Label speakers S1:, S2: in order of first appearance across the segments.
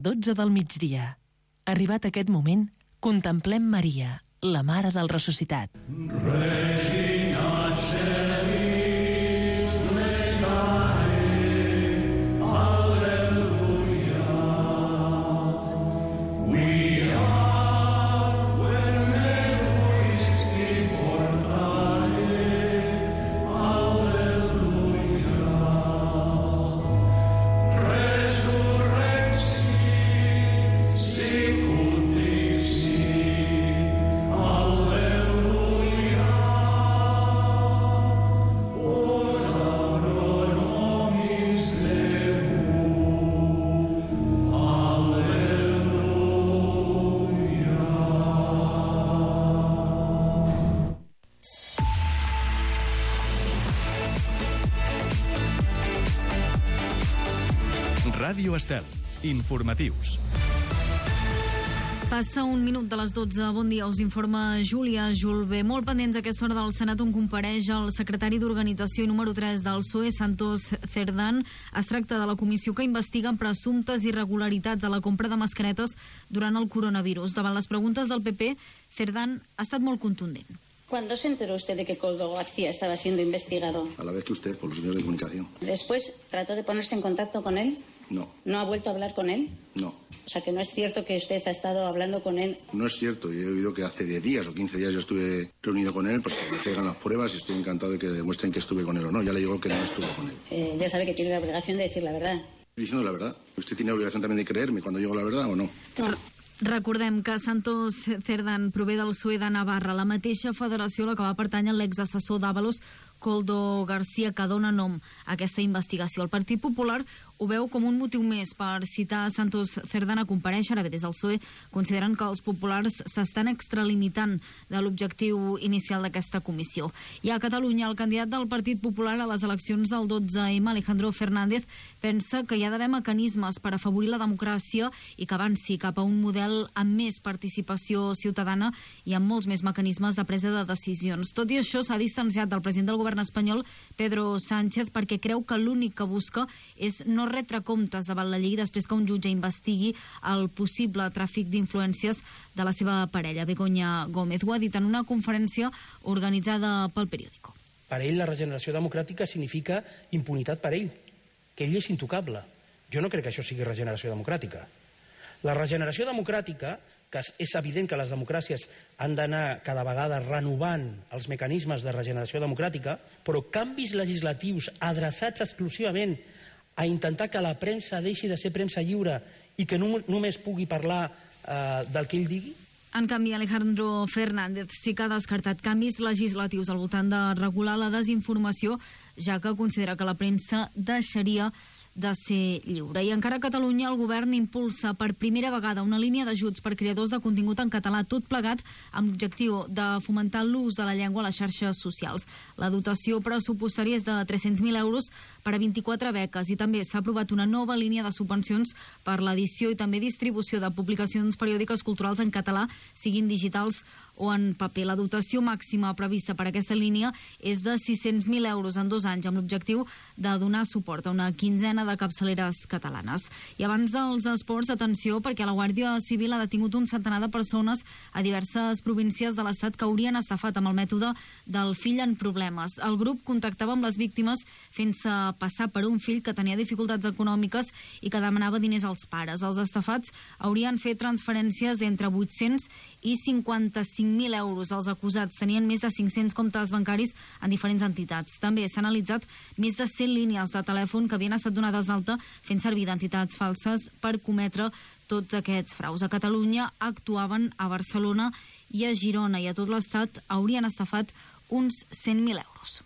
S1: 12 del migdia. Arribat aquest moment, contemplem Maria, la Mare del Ressuscitat.
S2: Ràdio Estel. Informatius.
S3: Passa un minut de les 12. Bon dia, us informa Júlia Julve. Molt pendents a aquesta hora del Senat, on compareix el secretari d'Organització i número 3 del PSOE, Santos Cerdán. Es tracta de la comissió que investiga presumptes irregularitats a la compra de mascaretes durant el coronavirus. Davant les preguntes del PP, Cerdán ha estat molt contundent.
S4: ¿Cuándo se enteró usted de que Koldo García estaba siendo investigado?
S5: A la vez que usted, por los medios de comunicación.
S4: ¿Después trató de ponerse en contacto con él?
S5: No.
S4: ¿No ha vuelto a hablar con él?
S5: No.
S4: O sea, que no es cierto que usted ha estado hablando con él.
S5: No es cierto. Yo he oído que hace 10 días o 15 días yo estuve reunido con él, pues que me traigan las pruebas y estoy encantado de que demuestren que estuve con él o no. Ya le digo que no estuve con él.
S4: Ya sabe que tiene la obligación de decir la verdad.
S5: Estoy diciendo la verdad. ¿Usted tiene la obligación también de creerme cuando digo la verdad o no?
S4: No.
S3: Recordem que Santos Cerdán prové del PSOE de Navarra, la mateixa federació a la que va pertànyer l'exassessor d'Ábalos, Koldo García, que dona nom a aquesta investigació. El Partit Popular ho veu com un motiu més per citar Santos Cerdán a comparèixer. Ara bé, des del PSOE consideren que els populars s'estan extralimitant de l'objectiu inicial d'aquesta comissió. I a Catalunya, el candidat del Partit Popular a les eleccions del 12M, Alejandro Fernández, pensa que hi ha d'haver mecanismes per afavorir la democràcia i que avanci cap a un model amb més participació ciutadana i amb molts més mecanismes de presa de decisions. Tot i això, s'ha distanciat del president del govern espanyol, Pedro Sánchez, perquè creu que l'únic que busca és no retre comptes davant la llei després que un jutge investigui el possible tràfic d'influències de la seva parella, Begoña Gómez. Ho ha dit en una conferència organitzada pel Periódico.
S6: Per ell, la regeneració democràtica significa impunitat per ell, que ell és intocable. Jo no crec que això sigui regeneració democràtica. La regeneració democràtica, que és evident que les democràcies han d'anar cada vegada renovant els mecanismes de regeneració democràtica, però canvis legislatius adreçats exclusivament a intentar que la premsa deixi de ser premsa lliure i que només pugui parlar del que ell digui?
S3: En canvi, Alejandro Fernández sí que ha descartat canvis legislatius al voltant de regular la desinformació, ja que considera que la premsa deixaria de ser lliure. I encara a Catalunya el govern impulsa per primera vegada una línia d'ajuts per creadors de contingut en català, tot plegat amb l'objectiu de fomentar l'ús de la llengua a les xarxes socials. La dotació pressupostària és de 300.000 euros per a 24 beques i també s'ha aprovat una nova línia de subvencions per l'edició i també distribució de publicacions periòdiques culturals en català, siguin digitals o en paper. La dotació màxima prevista per a aquesta línia és de 600.000 euros en 2 anys, amb l'objectiu de donar suport a una quinzena de capçaleres catalanes. I abans dels esports, atenció, perquè la Guàrdia Civil ha detingut un centenar de persones a diverses províncies de l'Estat que haurien estafat amb el mètode del fill en problemes. El grup contactava amb les víctimes fent-se passar per un fill que tenia dificultats econòmiques i que demanava diners als pares. Els estafats haurien fet transferències d'entre 800 i 55.000 euros. Els acusats tenien més de 500 comptes bancaris en diferents entitats. També s'han analitzat més de 100 línies de telèfon que havien estat donades d'alta fent servir d'entitats falses per cometre tots aquests fraus. A Catalunya actuaven a Barcelona i a Girona i a tot l'Estat haurien estafat uns 100.000 euros.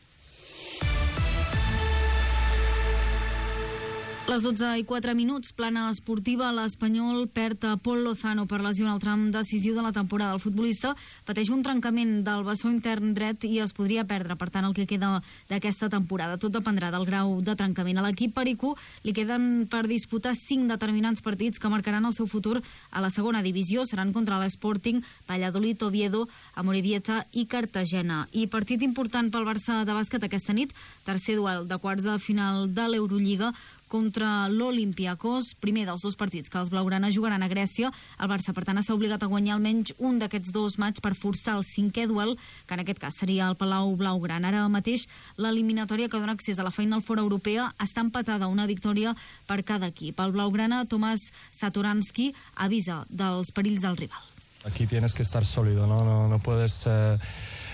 S3: Les 12:04, plana esportiva. L'Espanyol perd a Pol Lozano per lesió en el tram decisiu de la temporada. El futbolista pateix un trencament del bessó intern dret i es podria perdre, per tant, el que queda d'aquesta temporada. Tot dependrà del grau de trencament. A l'equip pericú li queden per disputar 5 determinants partits que marcaran el seu futur a la segona divisió. Seran contra l'Sporting, Valladolid, Oviedo, Amorebieta i Cartagena. I partit important pel Barça de bàsquet aquesta nit, tercer duel de quarts de final de l'Eurolliga contra l'Olympiakos, primer dels dos partits que els blaugrana jugaran a Grècia. El Barça, per tant, està obligat a guanyar almenys un d'aquests dos matxs per forçar el 5è duel, que en aquest cas seria el Palau Blaugrana. Ara mateix, l'eliminatòria que dona accés a la Final Four europea està empatada, una victòria per cada equip. El blaugrana, Tomàs Satoransky, avisa dels perills del rival.
S7: Aquí tienes que estar sólido, no puedes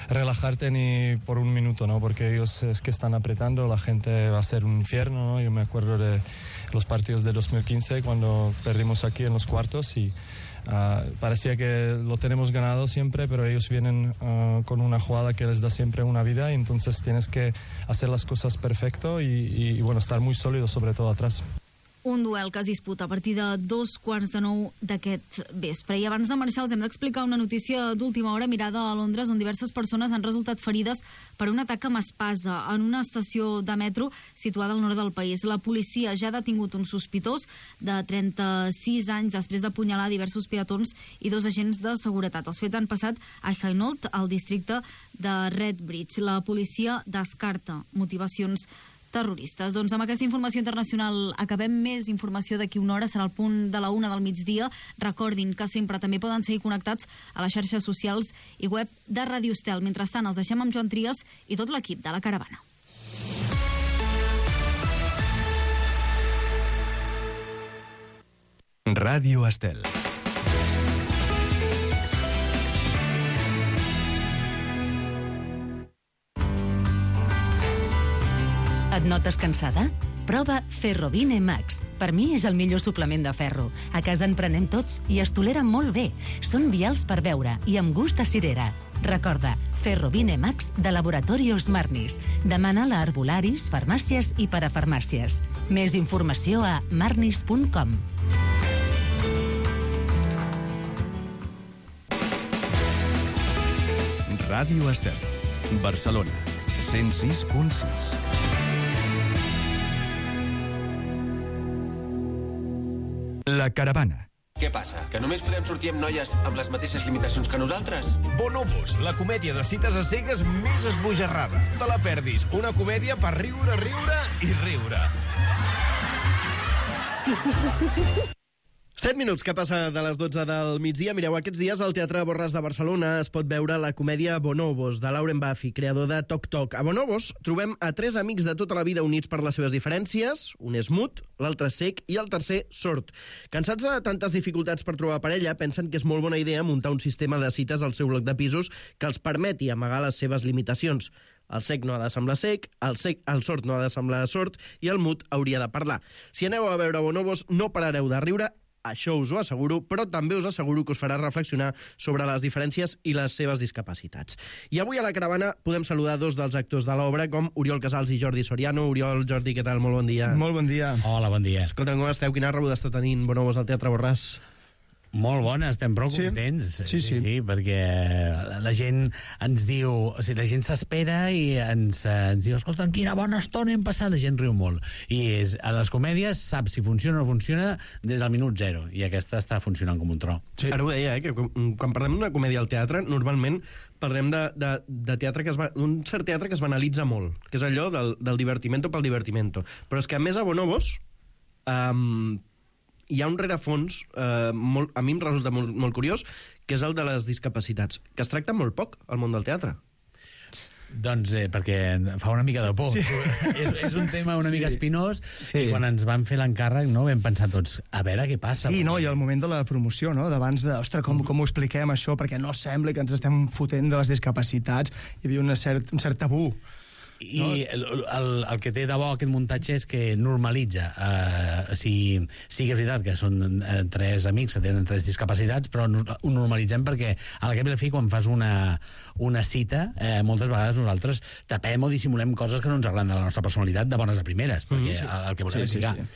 S7: relajarte ni por un minuto, ¿no? Porque ellos es que están apretando, la gente va a ser un infierno, ¿no? Yo me acuerdo de los partidos de 2015 cuando perdimos aquí en los cuartos y parecía que lo tenemos ganado siempre, pero ellos vienen con una jugada que les da siempre una vida y entonces tienes que hacer las cosas perfecto y bueno, estar muy sólido sobre todo atrás.
S3: Un duel que es disputa a partir de 8:45 d'aquest vespre. I abans de marxar els hem d'explicar una notícia d'última hora mirada a Londres, on diverses persones han resultat ferides per un atac amb espasa en una estació de metro situada al nord del país. La policia ja ha detingut un sospitós de 36 anys després d'apunyalar diversos peatons i dos agents de seguretat. Els fets han passat a Hainault, al districte de Redbridge. La policia descarta motivacions terroristes. Doncs amb aquesta informació internacional acabem. Més informació d'aquí una hora, serà al punt de la 1 del migdia. Recordin que sempre també poden seguir connectats a les xarxes socials i web de Ràdio Estel. Mentrestant, els deixem amb Joan Trias i tot l'equip de La Caravana.
S2: Ràdio Estel.
S8: Et notes cansada? Prova Ferrovine Max. Per mi és el millor suplement de ferro. A casa en prenem tots i es tolera molt bé. Són vials per beure i amb gust a cirera. Recorda, Ferrovine Max de Laboratorios Marnis. Demana-la a herbolaris, farmàcies i parafarmàcies. Més informació a marnis.com.
S2: Ràdio Estel. Barcelona. 106.6. La Caravana.
S9: Què passa? Que només podem sortir amb noies amb les mateixes limitacions que nosaltres?
S10: Bonobos, la comèdia de cites a cegues més esbojarrada. No te la perdis. Una comèdia per riure, riure i riure.
S11: 7 minuts que passa de les 12 del migdia. Mireu, aquests dies al Teatre Borràs de Barcelona es pot veure la comèdia Bonobos, de Lauren Buffy, creador de Toc Toc. A Bonobos trobem a 3 amics de tota la vida units per les seves diferències. Un és mut, l'altre cec i el tercer sord. Cansats de tantes dificultats per trobar parella, pensen que és molt bona idea muntar un sistema de cites al seu bloc de pisos que els permeti amagar les seves limitacions. El cec no ha de semblar cec, el sord no ha de semblar sord i el mut hauria de parlar. Si aneu a veure Bonobos, no parareu de riure. Això us ho asseguro, però també us asseguro que us farà reflexionar sobre les diferències i les seves discapacitats. I avui a La Caravana podem saludar dos dels actors de l'obra, com Oriol Casals i Jordi Soriano. Oriol, Jordi, què tal? Molt bon dia.
S12: Molt bon dia.
S13: Hola, bon dia.
S11: Escolta, com esteu? Quina rebuda està tenint Bonobos al Teatre Borràs?
S13: Molt bona, estem prou contents. Sí, perquè la gent ens diu... O sigui, la gent s'espera i ens diu, escolta, quina bona estona hem passat, la gent riu molt. I a les comèdies saps si funciona o no funciona des del minut 0, i aquesta està funcionant com un tro.
S11: Sí. Ara ho deia, que quan parlem d'una comèdia al teatre, normalment parlem de teatre un cert teatre que es banalitza molt, que és allò del divertimento pel divertimento. Però és que, a més, a Bonobos... hi ha un rerefons, a mi em resulta molt curiós, que és el de les discapacitats, que es tracta molt poc al món del teatre.
S13: Doncs perquè fa una mica de por. Sí. És un tema una mica espinós, i quan ens van fer l'encàrrec vam pensar tots, a veure què passa.
S12: I al moment de la promoció, d'abans de, ostres, com ho expliquem això, perquè no sembla que ens estem fotent de les discapacitats, hi havia un cert tabú.
S13: I el que té de bo aquest muntatge és que normalitza. Sí que és veritat que són 3 amics que tenen 3 discapacitats, però ho normalitzem perquè a la cap i a la fi, quan fas una cita, moltes vegades nosaltres tapem o dissimulem coses que no ens agraden de la nostra personalitat de bones a primeres, perquè el que volem explicar.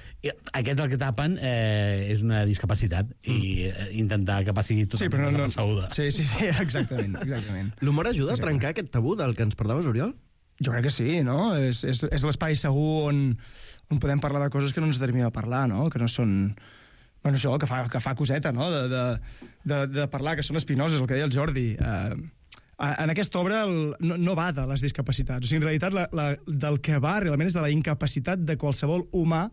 S13: Aquest el que tapen és una discapacitat i intentar que passi totalment desapercebuda.
S12: Sí, exactament.
S11: L'humor ajuda a trencar aquest tabú del que ens parlaves, Oriol?
S12: Jo crec que sí, no? És l'espai segur on podem parlar de coses que no ens determina a parlar, no? Que no són... Bueno, això, que fa coseta, no? De parlar, que són espinoses, el que deia el Jordi. En aquesta obra no va de les discapacitats. O sigui, en realitat, del que va realment és de la incapacitat de qualsevol humà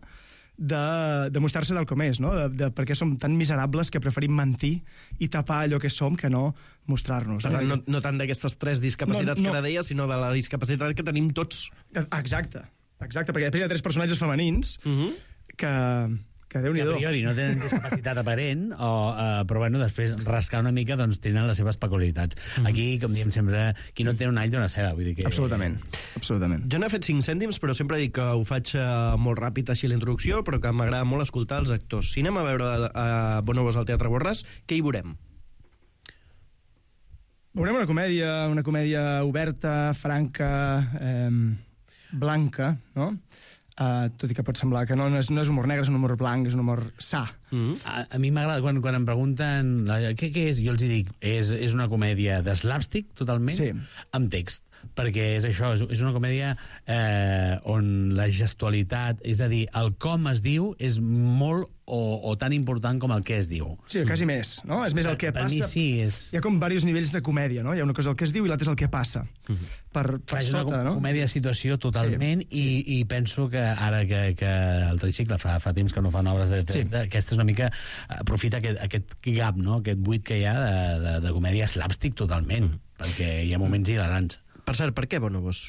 S12: de mostrar-se del com és, no? De perquè som tan miserables que preferim mentir i tapar allò que som que no mostrar-nos.
S11: Per tant, no tant d'aquestes 3 discapacitats que ara deia, sinó de la discapacitat que tenim tots.
S12: Exacte, perquè després hi ha 3 personatges femenins que Déu-n'hi-do.
S13: Que a priori no tenen discapacitat aparent, però bueno, després rascar una mica doncs tenen les seves peculiaritats. Aquí, com diem sempre, qui no té un all té una ceba. Vull dir que...
S12: Absolutament.
S11: Jo n'he fet 5 cèntims, però sempre dic que ho faig molt ràpid així la introducció, però que m'agrada molt escoltar els actors. Si anem a veure Bonobos al Teatre Borràs, què hi veurem?
S12: Veurem una comèdia oberta, franca, blanca, no? Tot i que pot semblar que no és humor negre, és un humor blanc, és un humor sa.
S13: A mi m'agrada quan em pregunten què és, jo els dic és una comèdia de slapstick totalment, amb text, perquè és això, és una comèdia on la gestualitat, és a dir, el com es diu és molt o tan important com el què es diu.
S12: Sí, quasi més, no? És més el que passa.
S13: Per mi sí.
S12: Hi ha com diversos nivells de comèdia, no? Hi ha una cosa el que es diu i l'altra és el que passa. Per
S13: és
S12: sota,
S13: una
S12: no?
S13: comèdia de situació totalment i penso que ara que el Tricicle fa temps que no fan obres de teatre, aquesta és una mica aprofita aquest gap, no? Aquest buit que hi ha de comèdia slapstick totalment, perquè hi ha moments hilarants.
S11: Per cert, per què Bonobos?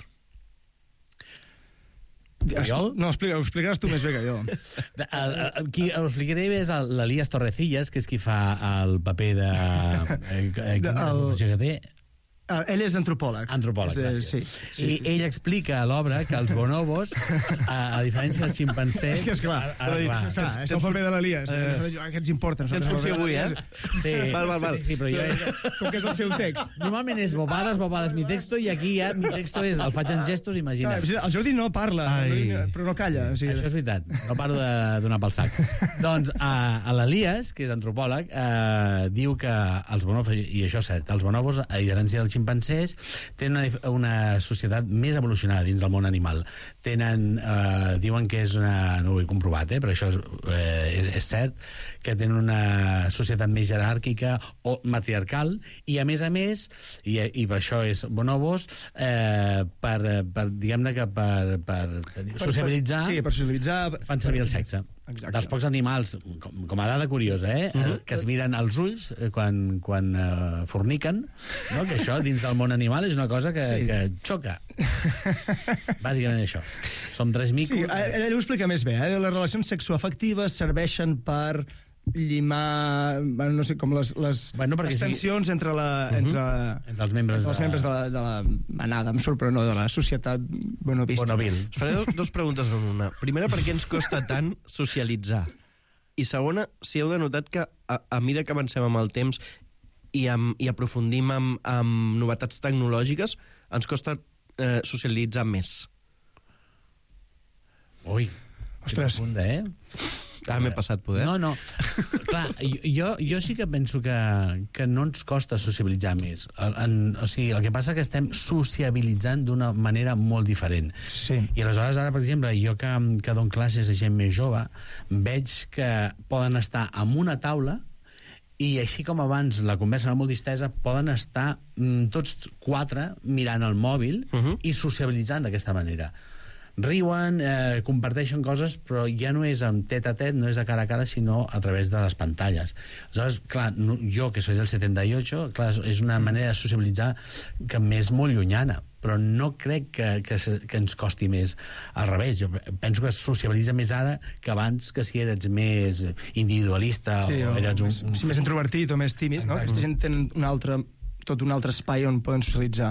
S12: No, ho explicaràs tu més bé que jo.
S13: Qui ho explicaré bé és l'Elias Torrecillas, que és qui fa el paper de...
S12: Ell és antropòleg.
S13: Antropòleg, gràcies. I ell explica a l'obra que els bonobos, a diferència dels ximpancers...
S12: És que, esclar, és el paper de l'Elias. Què ens importa?
S11: Tens funció avui,
S13: Sí, val. Sí, però jo...
S12: Com que és el seu text.
S13: Normalment és bobades, mi texto, i aquí ja mi texto és... El faig en gestos, imagina't.
S12: El Jordi no parla, però no calla.
S13: Això és veritat, no paro de donar pel sac. Doncs l'Elias, que és antropòleg, diu que els bonobos, i això és cert, els bonobos, a diferència dels ximpancers, tenen una societat més evolucionada dins del món animal. Diuen que és una... No ho he comprovat, però això és cert, que tenen una societat més jeràrquica o matriarcal, i a més, i per això és bonobos, diguem-ne que per sociabilitzar...
S12: Sí, per sociabilitzar...
S13: Fan servir el sexe. Exacte. Dels pocs animals, com a dada curiosa, que es miren als ulls quan forniquen, no? Que això dins del món animal és una cosa que xoca. Bàsicament això. Som 3 micos...
S12: Sí, ell ho explica més bé. Les relacions sexoafectives serveixen per llimar, no sé, com les tensions entre
S13: els membres
S12: de la manada, em surt, però no de la societat bonobista.
S13: Bonovil.
S11: Us faré 2 preguntes en una. Primera, per què ens costa tant socialitzar? I segona, si heu denotat que a mesura que avancem amb el temps i aprofundim amb novetats tecnològiques, ens costa socialitzar més.
S13: Ui,
S12: ostres.
S11: Ara m'he passat poder.
S13: No. Clar, jo sí que penso que no ens costa sociabilitzar més. O sigui, el que passa és que estem sociabilitzant d'una manera molt diferent.
S12: Sí.
S13: I aleshores, ara, per exemple, jo que dono classes a gent més jove, veig que poden estar en una taula i així com abans la conversa era molt distesa, poden estar tots 4 mirant el mòbil i sociabilitzant d'aquesta manera. Riuen, comparteixen coses, però ja no és amb tet-a-tet, no és de cara a cara, sinó a través de les pantalles. Aleshores, clar, jo, que soy del 78, clar, és una manera de sociabilitzar que m'és molt llunyana, però no crec que ens costi més. Al revés, jo penso que es sociabilitza més ara que abans, que si eres més individualista o eres
S12: més introvertit o més tímid, no? Aquesta gent tenen tot un altre espai on poden socialitzar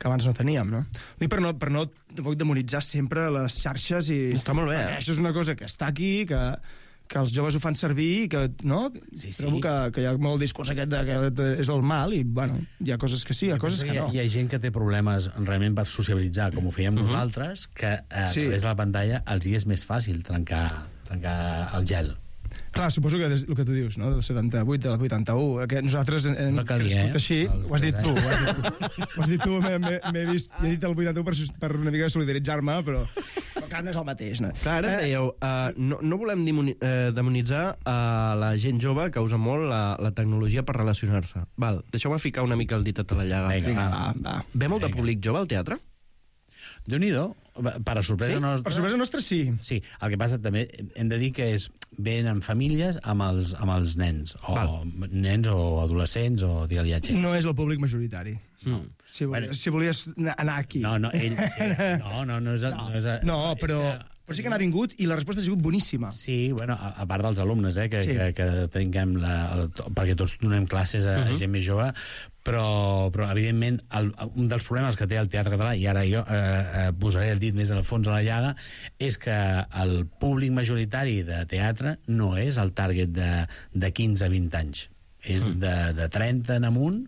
S12: que abans no teníem, no? Dic per no tampoc demonitzar sempre les xarxes i...
S11: Està molt bé,
S12: Això és una cosa que està aquí, que els joves ho fan servir i que, no?
S13: Sí.
S12: Trobo que hi ha molt discurs aquest que és el mal i, bueno, hi ha coses que sí, hi ha coses que no.
S13: Hi ha gent que té problemes realment per sociabilitzar, com ho fèiem nosaltres, que a través de la pantalla els hi és més fàcil trencar el gel.
S12: Clar, suposo que el que tu dius, no? Del 78, del 81, que nosaltres hem crescut així, ho has dit tu. Ho has dit tu, m'he vist, he dit el 81 per una mica solidaritzar-me, però clar, no és el mateix, no?
S11: Clar, ara dèieu, no volem demonitzar la gent jove que usa molt la tecnologia per relacionar-se. Val, deixeu-me ficar una mica el dit a la llaga.
S13: Vinga, va.
S11: Ve molt de públic jove al teatre?
S13: Déu-n'hi-do. Per a sorpresa nostra...
S12: Per sorpresa nostra, sí.
S13: Sí, el que passa també, hem de dir que ven en famílies amb els nens, nens o adolescents, o digue-li a gent.
S12: No és el públic majoritari. No. Si volies anar aquí.
S13: No, ell...
S12: No, però sí que n'ha vingut i la resposta ha sigut boníssima.
S13: Sí, bueno, a part dels alumnes, que tinguem perquè tots donem classes a gent més jove, però evidentment, un dels problemes que té el teatre català, i ara jo posaré el dit més al fons de la llaga, és que el públic majoritari de teatre no és el target de 15 a 20 anys. És de 30 en amunt,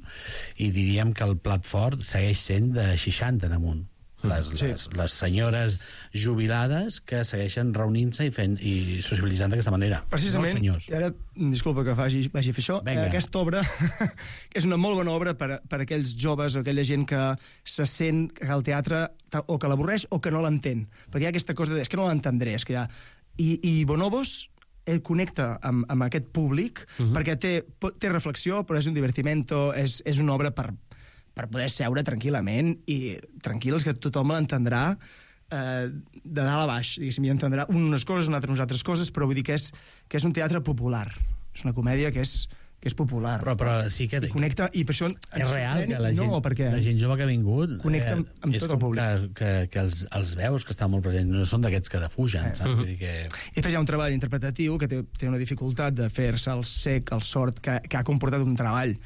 S13: i diríem que el plat fort segueix sent de 60 en amunt. Les senyores jubilades que segueixen reunint-se i socialitzant d'aquesta manera.
S12: Precisament, i ara, disculpa que vagi a fer això, aquesta obra és una molt bona obra per aquells joves o aquella gent que se sent que el teatre o que l'avorreix o que no l'entén, perquè hi ha aquesta cosa de és que no l'entendré, és que ja... I Bonobos connecta amb aquest públic perquè té reflexió, però és un divertimento, és una obra per poder seure tranquil·lament i tranquils, que tothom l'entendrà de dalt a baix, diguéssim, i entendrà unes coses, unes altres coses, però vull dir que és un teatre popular. És una comèdia que és popular.
S13: Però sí que...
S12: I connecta, i per això...
S13: És real que la gent jove que ha vingut...
S12: Connecta amb tot el públic.
S13: Que els veus que estan molt presents, no són d'aquests que defugen, saps? Vull dir que...
S12: I després hi ha un treball interpretatiu que té una dificultat de fer-se el sec, el sord, que ha comportat un treball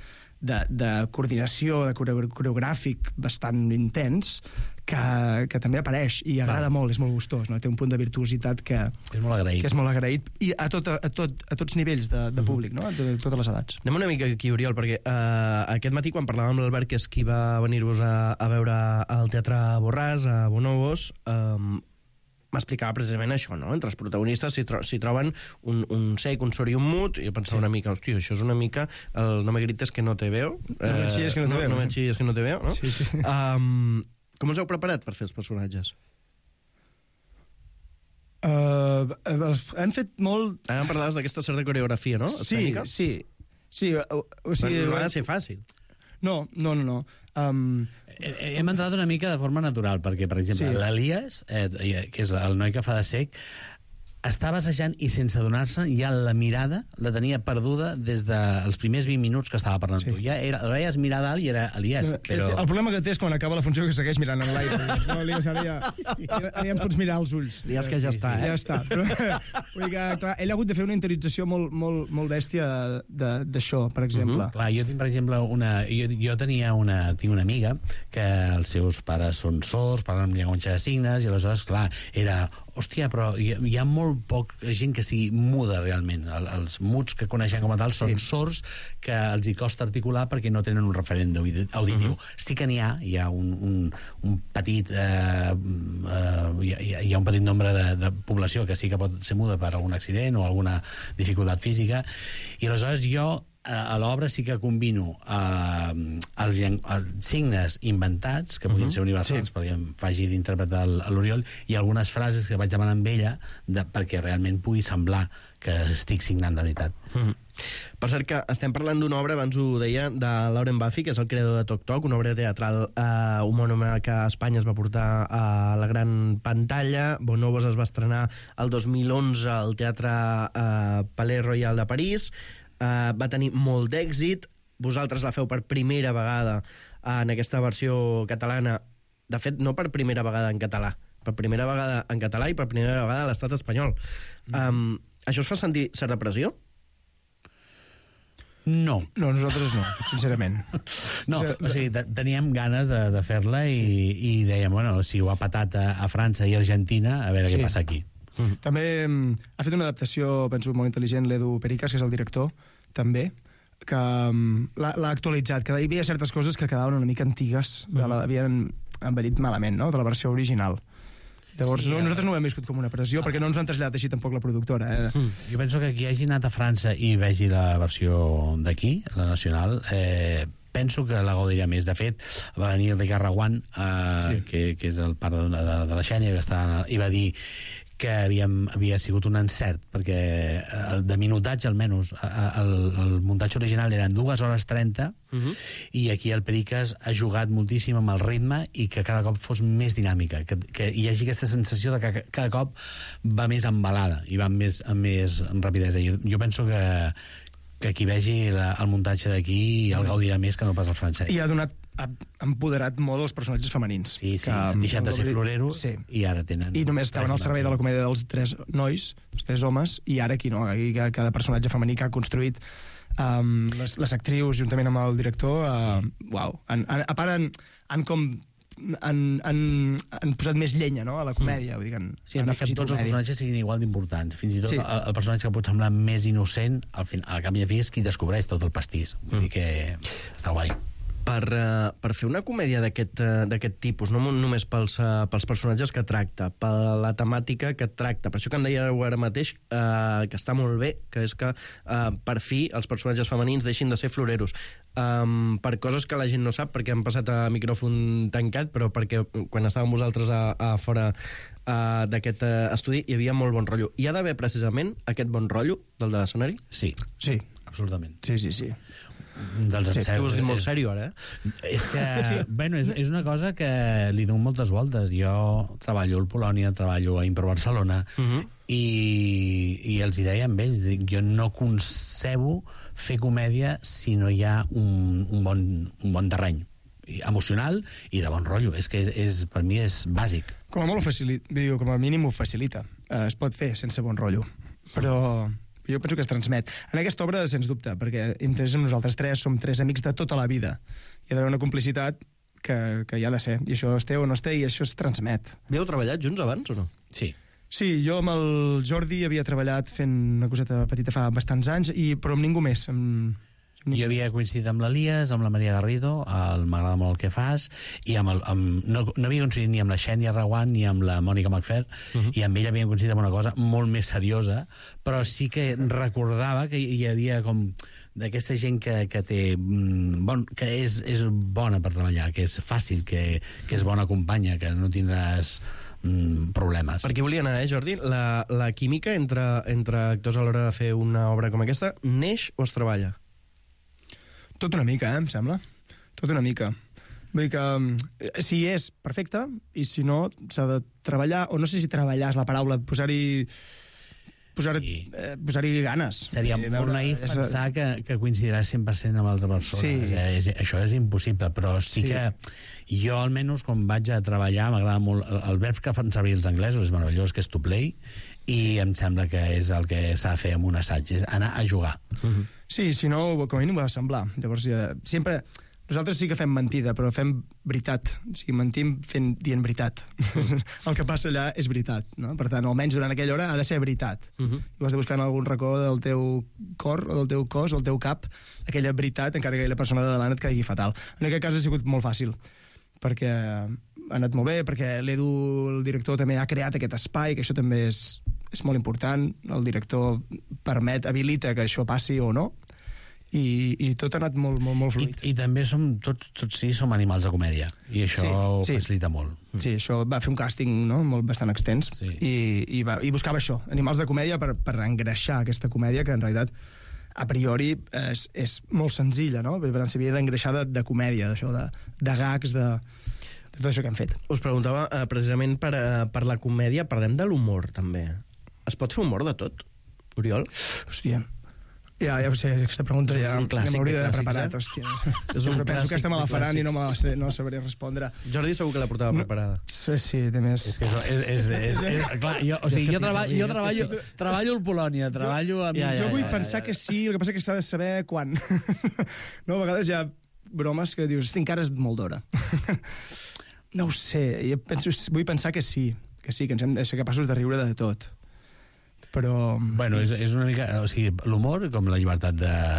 S12: de coordinació, de coreogràfic bastant intens, que també apareix i agrada molt, és molt gustós, no? Té un punt de virtuositat que és molt agraït i a tots nivells de públic, no? De totes les edats.
S11: Anem una mica aquí, Oriol, perquè aquest matí quan parlàvem amb l'Albert, que és qui va venir-vos a veure al Teatre Borràs, a Bonobos, m'explicava precisament això, no? Entre els protagonistes s'hi troben un sec, un sord i un mut, i jo pensava una mica, hòstia, això és una mica no me grites que no te veo.
S12: No me chilles que no te veo.
S11: No me chilles que no te veo, no?
S12: Sí.
S11: Com us heu preparat per fer els personatges?
S12: Hem fet molt...
S11: Ara em parlaves d'aquesta certa coreografia, no?
S12: Sí. O sigui,
S11: no ha de ser fàcil.
S12: No.
S13: Hem entrat una mica de forma natural, perquè, per exemple, l'Elias, que és el noi que fa de sec, estava assajant i sense adonar-se ja la mirada la tenia perduda des dels primers 20 minuts que estava parlant tu. Ja el veies mirar dalt i era Elias, però...
S12: El problema que té és quan acaba la funció que segueix mirant en l'aire. No, Elias, ara ja em pots mirar els ulls.
S11: Elias, que ja està,
S12: Ja està. Però, vull dir que, clar, ell ha hagut de fer una interiorització molt bèstia d'això, per exemple.
S13: Clar, jo tinc, per exemple, jo tinc una amiga que els seus pares són sords, parlen amb llenguatge de signes, i aleshores, clar, era... Hòstia, però hi ha molt poc gent que sigui muda realment. Els muts que coneixen com a tal són sords que els hi costa articular perquè no tenen un referent auditiu. Sí que n'hi ha un petit hi ha un petit nombre de població que sí que pot ser muda per algun accident o alguna dificultat física, i aleshores jo a l'obra sí que combino els signes inventats, que puguin ser universals, perquè em faci d'interpretar l'Oriol, i algunes frases que vaig demanar amb ella perquè realment pugui semblar que estic signant de veritat.
S11: Per cert que estem parlant d'una obra, abans ho deia, de Lauren Buffy, que és el creador de Toc Toc, una obra teatral homònima que a Espanya es va portar a la gran pantalla. Bonobos es va estrenar el 2011 al Teatre Palais Royal de París. Va tenir molt d'èxit. Vosaltres la feu per primera vegada en aquesta versió catalana. De fet, no per primera vegada en català, per primera vegada en català i per primera vegada a l'estat espanyol. Això us fa sentir certa pressió?
S13: No,
S12: nosaltres no, sincerament.
S13: No, o sigui, teníem ganes de fer-la i dèiem, bueno, si ho ha patat a França i Argentina, a veure què passa aquí.
S12: També ha fet una adaptació, penso, molt intel·ligent, l'Edu Pericas, que és el director, també, que l'ha actualitzat, que hi havia certes coses que quedaven una mica antigues, havien envellit malament, no?, de la versió original. Llavors, nosaltres no ho hem viscut com una pressió, perquè no ens han traslladat així tampoc la productora.
S13: Jo penso que qui hagi anat a França i vegi la versió d'aquí, la nacional, penso que la gaudiria més. De fet, va venir Ricard Reguant, que és el pare de la Xènia, que i va dir que havia sigut un encert, perquè de minutatge almenys el muntatge original eren 2 hores 30 i aquí el Pericas ha jugat moltíssim amb el ritme i que cada cop fos més dinàmica, que hi hagi aquesta sensació de que cada cop va més embalada i va amb més rapidesa. Jo penso que qui vegi el muntatge d'aquí el gaudirà més que no pas el francès.
S12: I ha empoderat molt els personatges femenins.
S13: Sí, han deixat de ser floreros i ara tenen...
S12: I només estaven al servei de la comèdia dels 3 nois, els 3 homes, i ara aquí no, aquí cada personatge femení que ha construït les actrius juntament amb el director, uau, a part han posat més llenya, no?, a la comèdia. Vull dir que
S13: han fet tots els personatges siguin igual d'importants. Fins i tot el personatge que pot semblar més innocent, al cap i a fi és qui descobreix tot el pastís. Vull dir que està guai.
S11: Per fer una comèdia d'aquest tipus, no només pels personatges que tracta, per la temàtica que tracta, per això que em dèieu ara mateix que està molt bé, que és que per fi els personatges femenins deixin de ser floreros, per coses que la gent no sap, perquè han passat a micròfon tancat, però perquè quan estàvem vosaltres a fora d'aquest estudi hi havia molt bon rotllo. Hi ha d'haver precisament aquest bon rotllo del de l'escenari?
S13: Sí, absolutament.
S12: Sí.
S13: Dels encerts.
S11: Tu ho has dit molt sèrio, ara,
S13: És que, bueno, és una cosa que li dono moltes voltes. Jo treballo al Polònia, treballo a Impro Barcelona, i els hi deia amb ells, jo no concebo fer comèdia si no hi ha un bon terreny emocional i de bon rotllo. És que per mi és bàsic.
S12: Com a mínim ho facilita. Es pot fer sense bon rotllo. Però jo penso que es transmet. En aquesta obra, sens dubte, perquè nosaltres 3 som 3 amics de tota la vida. Hi ha d'haver una complicitat que hi ha de ser. I això es té o no es té, i això es transmet.
S11: Havíeu treballat junts abans o no?
S13: Sí.
S12: Sí, jo amb el Jordi havia treballat fent una coseta petita fa bastants anys, però amb ningú més.
S13: Jo havia coincidit amb l'Elias, amb la Maria Garrido, m'agrada molt el que fas, i no havia coincidit ni amb la Xènia Reguant ni amb la Mònica Macfer, i amb ella havia coincidit amb una cosa molt més seriosa, però sí que recordava que hi havia com d'aquesta gent que té que és bona per treballar, que és fàcil, que és bona companya, que no tindràs problemes.
S11: Per aquí volia anar, Jordi? La química entre actors a l'hora de fer una obra com aquesta neix o es treballa?
S12: Tot una mica, em sembla. Tot una mica. Vull dir que si és perfecte, i si no, s'ha de treballar, o no sé si treballar és la paraula, posar-hi ganes.
S13: Seria molt naïf pensar que coincidiràs 100% amb l'altra persona. Això és impossible, però sí que jo, almenys, quan vaig a treballar, m'agrada molt el verb que fan servir els anglesos, és meravellós, que és to play, i em sembla que és el que s'ha de fer amb un assaig, és anar a jugar.
S12: Sí, si no, com a mínim ho ha de semblar. Llavors, sempre... Nosaltres sí que fem mentida, però fem veritat. O sigui, mentim dient veritat. El que passa allà és veritat, no? Per tant, almenys durant aquella hora ha de ser veritat. I ho has de buscar en algun racó del teu cor, o del teu cos, o del teu cap, aquella veritat, encara que aquella persona de davant et caigui fatal. En aquest cas ha sigut molt fàcil, perquè ha anat molt bé, perquè l'Edu, el director, també ha creat aquest espai, que això també és molt important. El director habilita que això passi o no, i tot ha anat molt fluid.
S13: I també tots som animals de comèdia, i això ho facilita molt.
S12: Sí, això va fer un càsting bastant extens, i buscava això, animals de comèdia, per engreixar aquesta comèdia, que en realitat a priori és molt senzilla, no? Per tant, s'havia d'engreixar de comèdia, d'això, de gags, de tot això que hem fet.
S11: Us preguntava, precisament per la comèdia, parlem de l'humor, també. Es pot fer humor de tot, Oriol?
S12: Hòstia, ja ho sé, aquesta pregunta ja m'hauria d'haver preparat, hòstia. Sempre penso que estem a la faran i no sabré respondre.
S11: Jordi segur que la portava preparada.
S12: Sí, de més.
S13: Clar, jo treballo al Polònia, treballo amb...
S12: Jo vull pensar que sí, el que passa que s'ha de saber quan. No, a vegades hi ha bromes que dius, encara és molt d'hora. No ho sé, vull pensar que sí, que ens hem de ser capaços de riure de tot. Però...
S13: Bueno, és una mica... O sigui, l'humor, com la llibertat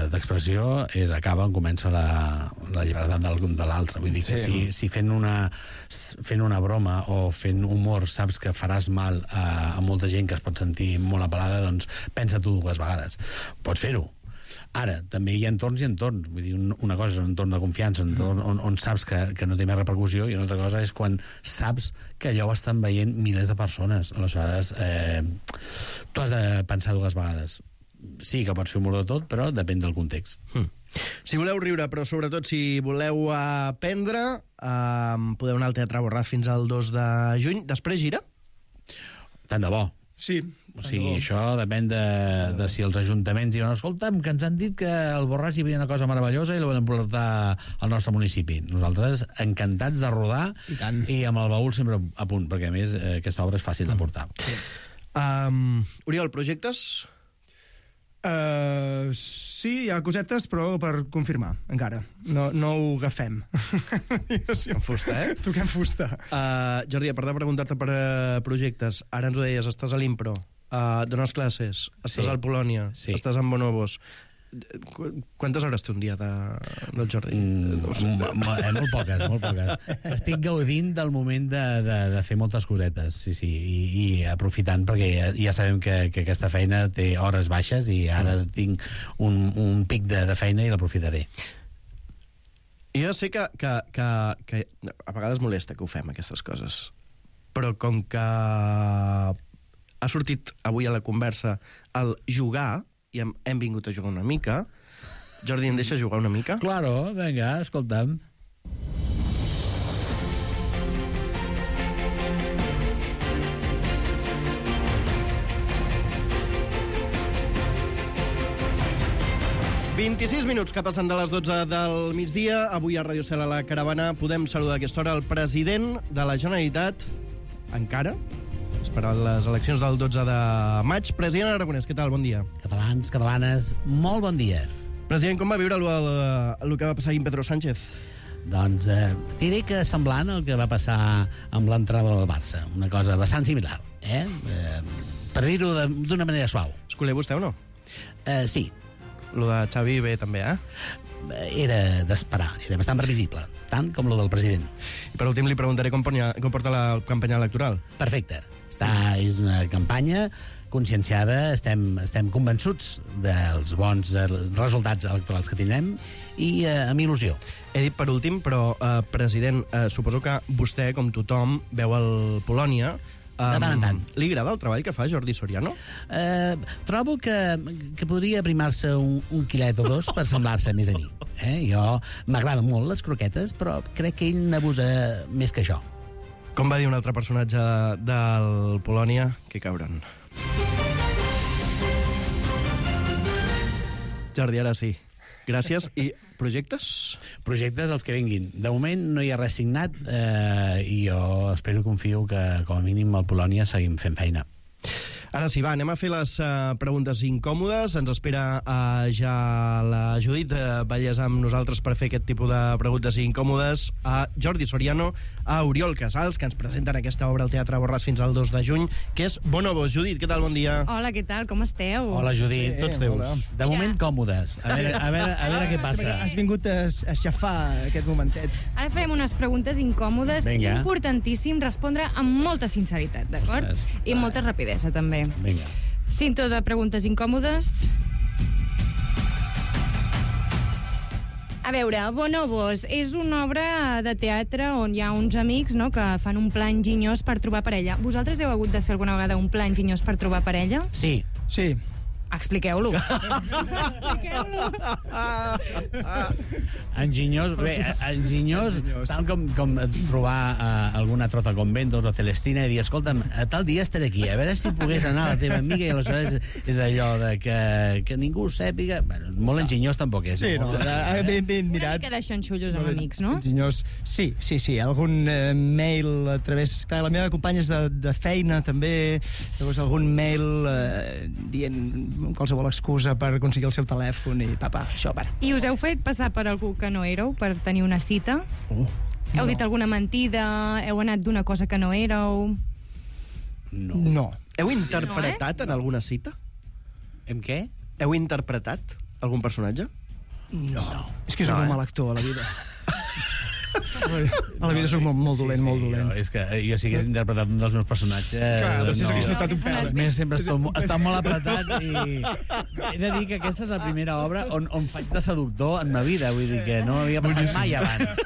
S13: d'expressió, acaba on comença la llibertat de l'altre. Vull dir que si fent una broma o fent humor saps que faràs mal a molta gent que es pot sentir molt apel·lada, doncs pensa tu 2 vegades. Pots fer-ho. Ara, també hi ha entorns i entorns. Vull dir, una cosa és un entorn de confiança, on saps que no té més repercussió, i una altra cosa és quan saps que allò ho estan veient milers de persones. Aleshores, tu has de pensar dues vegades. Sí que pots fer humor de tot, però depèn del context.
S11: Si voleu riure, però sobretot si voleu aprendre, podeu anar al Teatre Borràs fins al 2 de juny. Després gira?
S13: Tant de bo.
S12: Sí.
S13: O sigui, això depèn de si els ajuntaments diuen, escolta'm, que ens han dit que al Borràs hi havia una cosa meravellosa i la volen portar al nostre municipi. Nosaltres encantats de rodar i amb el baúl sempre a punt, perquè a més aquesta obra és fàcil de portar.
S11: Oriol, projectes?
S12: Sí, hi ha cosetes, però per confirmar, encara. No ho agafem.
S11: En fusta,
S12: Toquem fusta.
S11: Jordi, a part de preguntar-te per projectes, ara ens ho deies, estàs a l'Impro, dones classes, estàs al Polònia, estàs en Bonobos. Quantes hores té un dia del Jordi?
S13: Molt poques, molt poques. Estic gaudint del moment de fer moltes cosetes, sí, i aprofitant, perquè ja sabem que aquesta feina té hores baixes i ara tinc un pic de feina i l'aprofitaré.
S11: Jo sé que a vegades molesta que ho fem, aquestes coses, però com que ha sortit avui a la conversa el jugar, i hem vingut a jugar una mica. Jordi, em deixa jugar una mica?
S13: Claro, vinga, escolta'm.
S11: ...26 que passen de les 12 del migdia. Avui a Radio Estel a la Caravana podem saludar a aquesta hora el president de la Generalitat, encara, esperant les eleccions del 12 de maig. President Aragonès, què tal? Bon dia.
S13: Catalans, catalanes, molt bon dia.
S11: President, com va viure el que va passar amb Pedro Sánchez?
S13: Doncs diré que semblant al que va passar amb l'entrada del Barça. Una cosa bastant similar, per dir-ho d'una manera suau.
S11: Escolé vostè o no?
S13: Sí.
S11: Lo de Xavi bé també,
S13: Era d'esperar, era bastant previsible, tant com lo del president.
S11: I per últim li preguntaré com porta la campanya electoral.
S13: Perfecte. És una campanya conscienciada, estem convençuts dels bons resultats electorals que tindrem i amb il·lusió.
S11: He dit per últim, però, president, suposo que vostè, com tothom, veu el Polònia.
S13: De tant en tant.
S11: Li agrada el treball que fa Jordi Soriano?
S13: Trobo que podria aprimar-se un quilet o dos per semblar-se més a mi. Jo m'agraden molt les croquetes, però crec que ell n'abusa més que això.
S11: Com va dir un altre personatge del Polònia? Que cabron. Jordi, ara sí. Gràcies. I projectes?
S13: Projectes els que vinguin. De moment no hi ha res signat i jo espero i confio que com a mínim al Polònia seguim fent feina.
S11: Ara sí, va, anem a fer les preguntes incòmodes. Ens espera ja la Judit Vallès amb nosaltres per fer aquest tipus de preguntes incòmodes. A Jordi Soriano, a Oriol Casals, que ens presenten aquesta obra al Teatre Borràs fins al 2 de juny, que és Bonobos. Judit, què tal? Bon dia.
S14: Hola, què tal? Com esteu?
S13: Hola, Judit. Tots teus.
S12: Hola.
S13: De moment, còmodes. A veure què passa.
S12: Has vingut a aixafar aquest momentet.
S14: Ara farem unes preguntes incòmodes.
S13: Vinga.
S14: Importantíssim respondre amb molta sinceritat, d'acord? I amb molta rapidesa, també.
S13: Vinga.
S14: Cinto de preguntes incòmodes. A veure, Bonobos és una obra de teatre on hi ha uns amics, no?, que fan un pla enginyós per trobar parella. Vosaltres heu hagut de fer alguna vegada un pla enginyós per trobar parella?
S13: Sí.
S12: Sí.
S14: Expliqueu-lo. Expliqueu-lo.
S13: Enginyós, tal com trobar alguna trota conventos o Celestina i dir, escolta'm, a tal dia estaré aquí, a veure si pogués anar a la teva amiga, i aleshores és allò de que ningú ho sàpiga. Bueno, molt enginyós tampoc és.
S12: Sí, no, ben mirat.
S14: Una mica de xanxullos amb amics, no?
S12: Enginyós, sí. Algun mail a través... Clar, la meva companya és de feina, també. Llavors, algun mail dient qualsevol excusa per aconseguir el seu telèfon i això, va.
S14: I us heu fet passar per algú que no éreu per tenir una cita? Heu dit alguna mentida? Heu anat d'una cosa que no éreu?
S12: No.
S11: Heu interpretat en alguna cita?
S13: En què?
S11: Heu interpretat algun personatge?
S12: No. És que és un mal actor a la vida. A la vida soc molt dolent, molt dolent.
S13: És que jo sí que he interpretat un dels meus personatges...
S12: Clar, doncs s'hagués notat un pèl.
S13: Els meus sempre estan molt apretats i he de dir que aquesta és la primera obra on faig de seductor en ma vida, vull dir que no m'havia passat mai abans.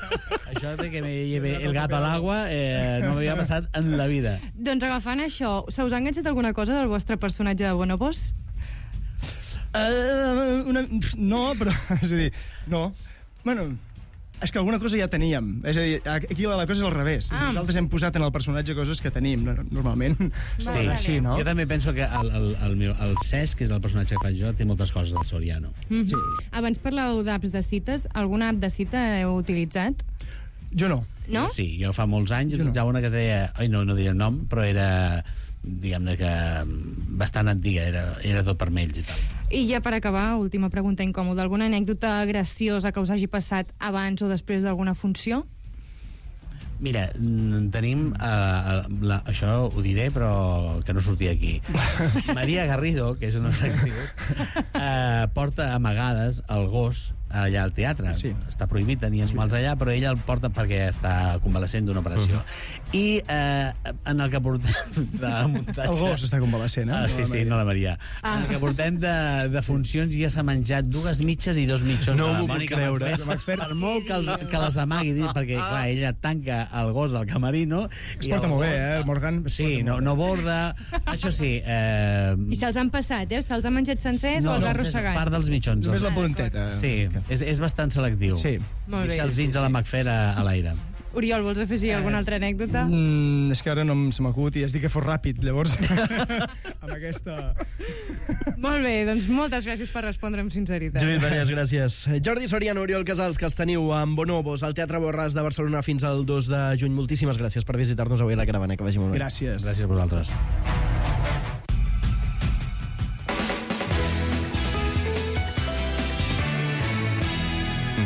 S13: Això de que me lleve el gat a l'aigua no m'havia passat en la vida.
S14: Doncs agafant això, se us ha enganxat alguna cosa del vostre personatge de Bonobos?
S12: No, però... És a dir, no. Bueno, és que alguna cosa ja teníem. És a dir, aquí la cosa és al revés. Nosaltres hem posat en el personatge coses que tenim, normalment.
S13: Sí,
S12: així, no?
S13: Jo també penso que el Cesc, que és el personatge que faig jo, té moltes coses del Soriano.
S14: Sí. Abans parlàveu d'apps de cites. Alguna app de cita heu utilitzat?
S12: Jo no.
S14: No?
S13: Jo sí, jo fa molts anys utilitzava una que es deia... No diré el nom, però era... diguem-ne que bastant antiga, era tot vermells i tal.
S14: I ja per acabar, última pregunta incòmoda. Alguna anècdota graciosa que us hagi passat abans o després d'alguna funció?
S13: Mira, tenim... això ho diré, però que no surti aquí. Maria Garrido, que és una actriu, porta amagades el gos allà al teatre. Sí. Està prohibit tenir animals allà, però ella el porta perquè està convalescent d'una operació. I en el que portem de muntatge...
S12: El gos està convalescent, eh?
S13: Sí, no la Maria. En el que portem de funcions ja s'ha menjat 2 mitges i 2 mitjons.
S12: No m'ho puc creure.
S13: Per molt que les amagui, perquè clar, ella tanca el gos al camerino...
S12: Es porta molt bé, el Morgan?
S13: Sí, no borda. Això sí...
S14: I se'ls han passat, Se'ls han menjat sencers o els ha arrossegat?
S13: Part dels mitjons.
S12: Només la punteta.
S13: Sí, és bastant selectiu.
S12: Sí.
S14: Molt bé.
S13: Els dits de la McFair a l'aire.
S14: Oriol, vols afegir alguna altra anècdota?
S12: És que ara no se m'acut i has dit que fos ràpid, llavors amb aquesta...
S14: Molt bé, doncs moltes gràcies per respondre amb sinceritat.
S11: Judit Vallès, gràcies. Jordi Soriano, Oriol Casals, que els teniu amb Bonobos al Teatre Borràs de Barcelona fins al 2 de juny. Moltíssimes gràcies per visitar-nos avui a la caravana. Que vagi molt bé.
S12: Gràcies.
S13: Gràcies a vosaltres.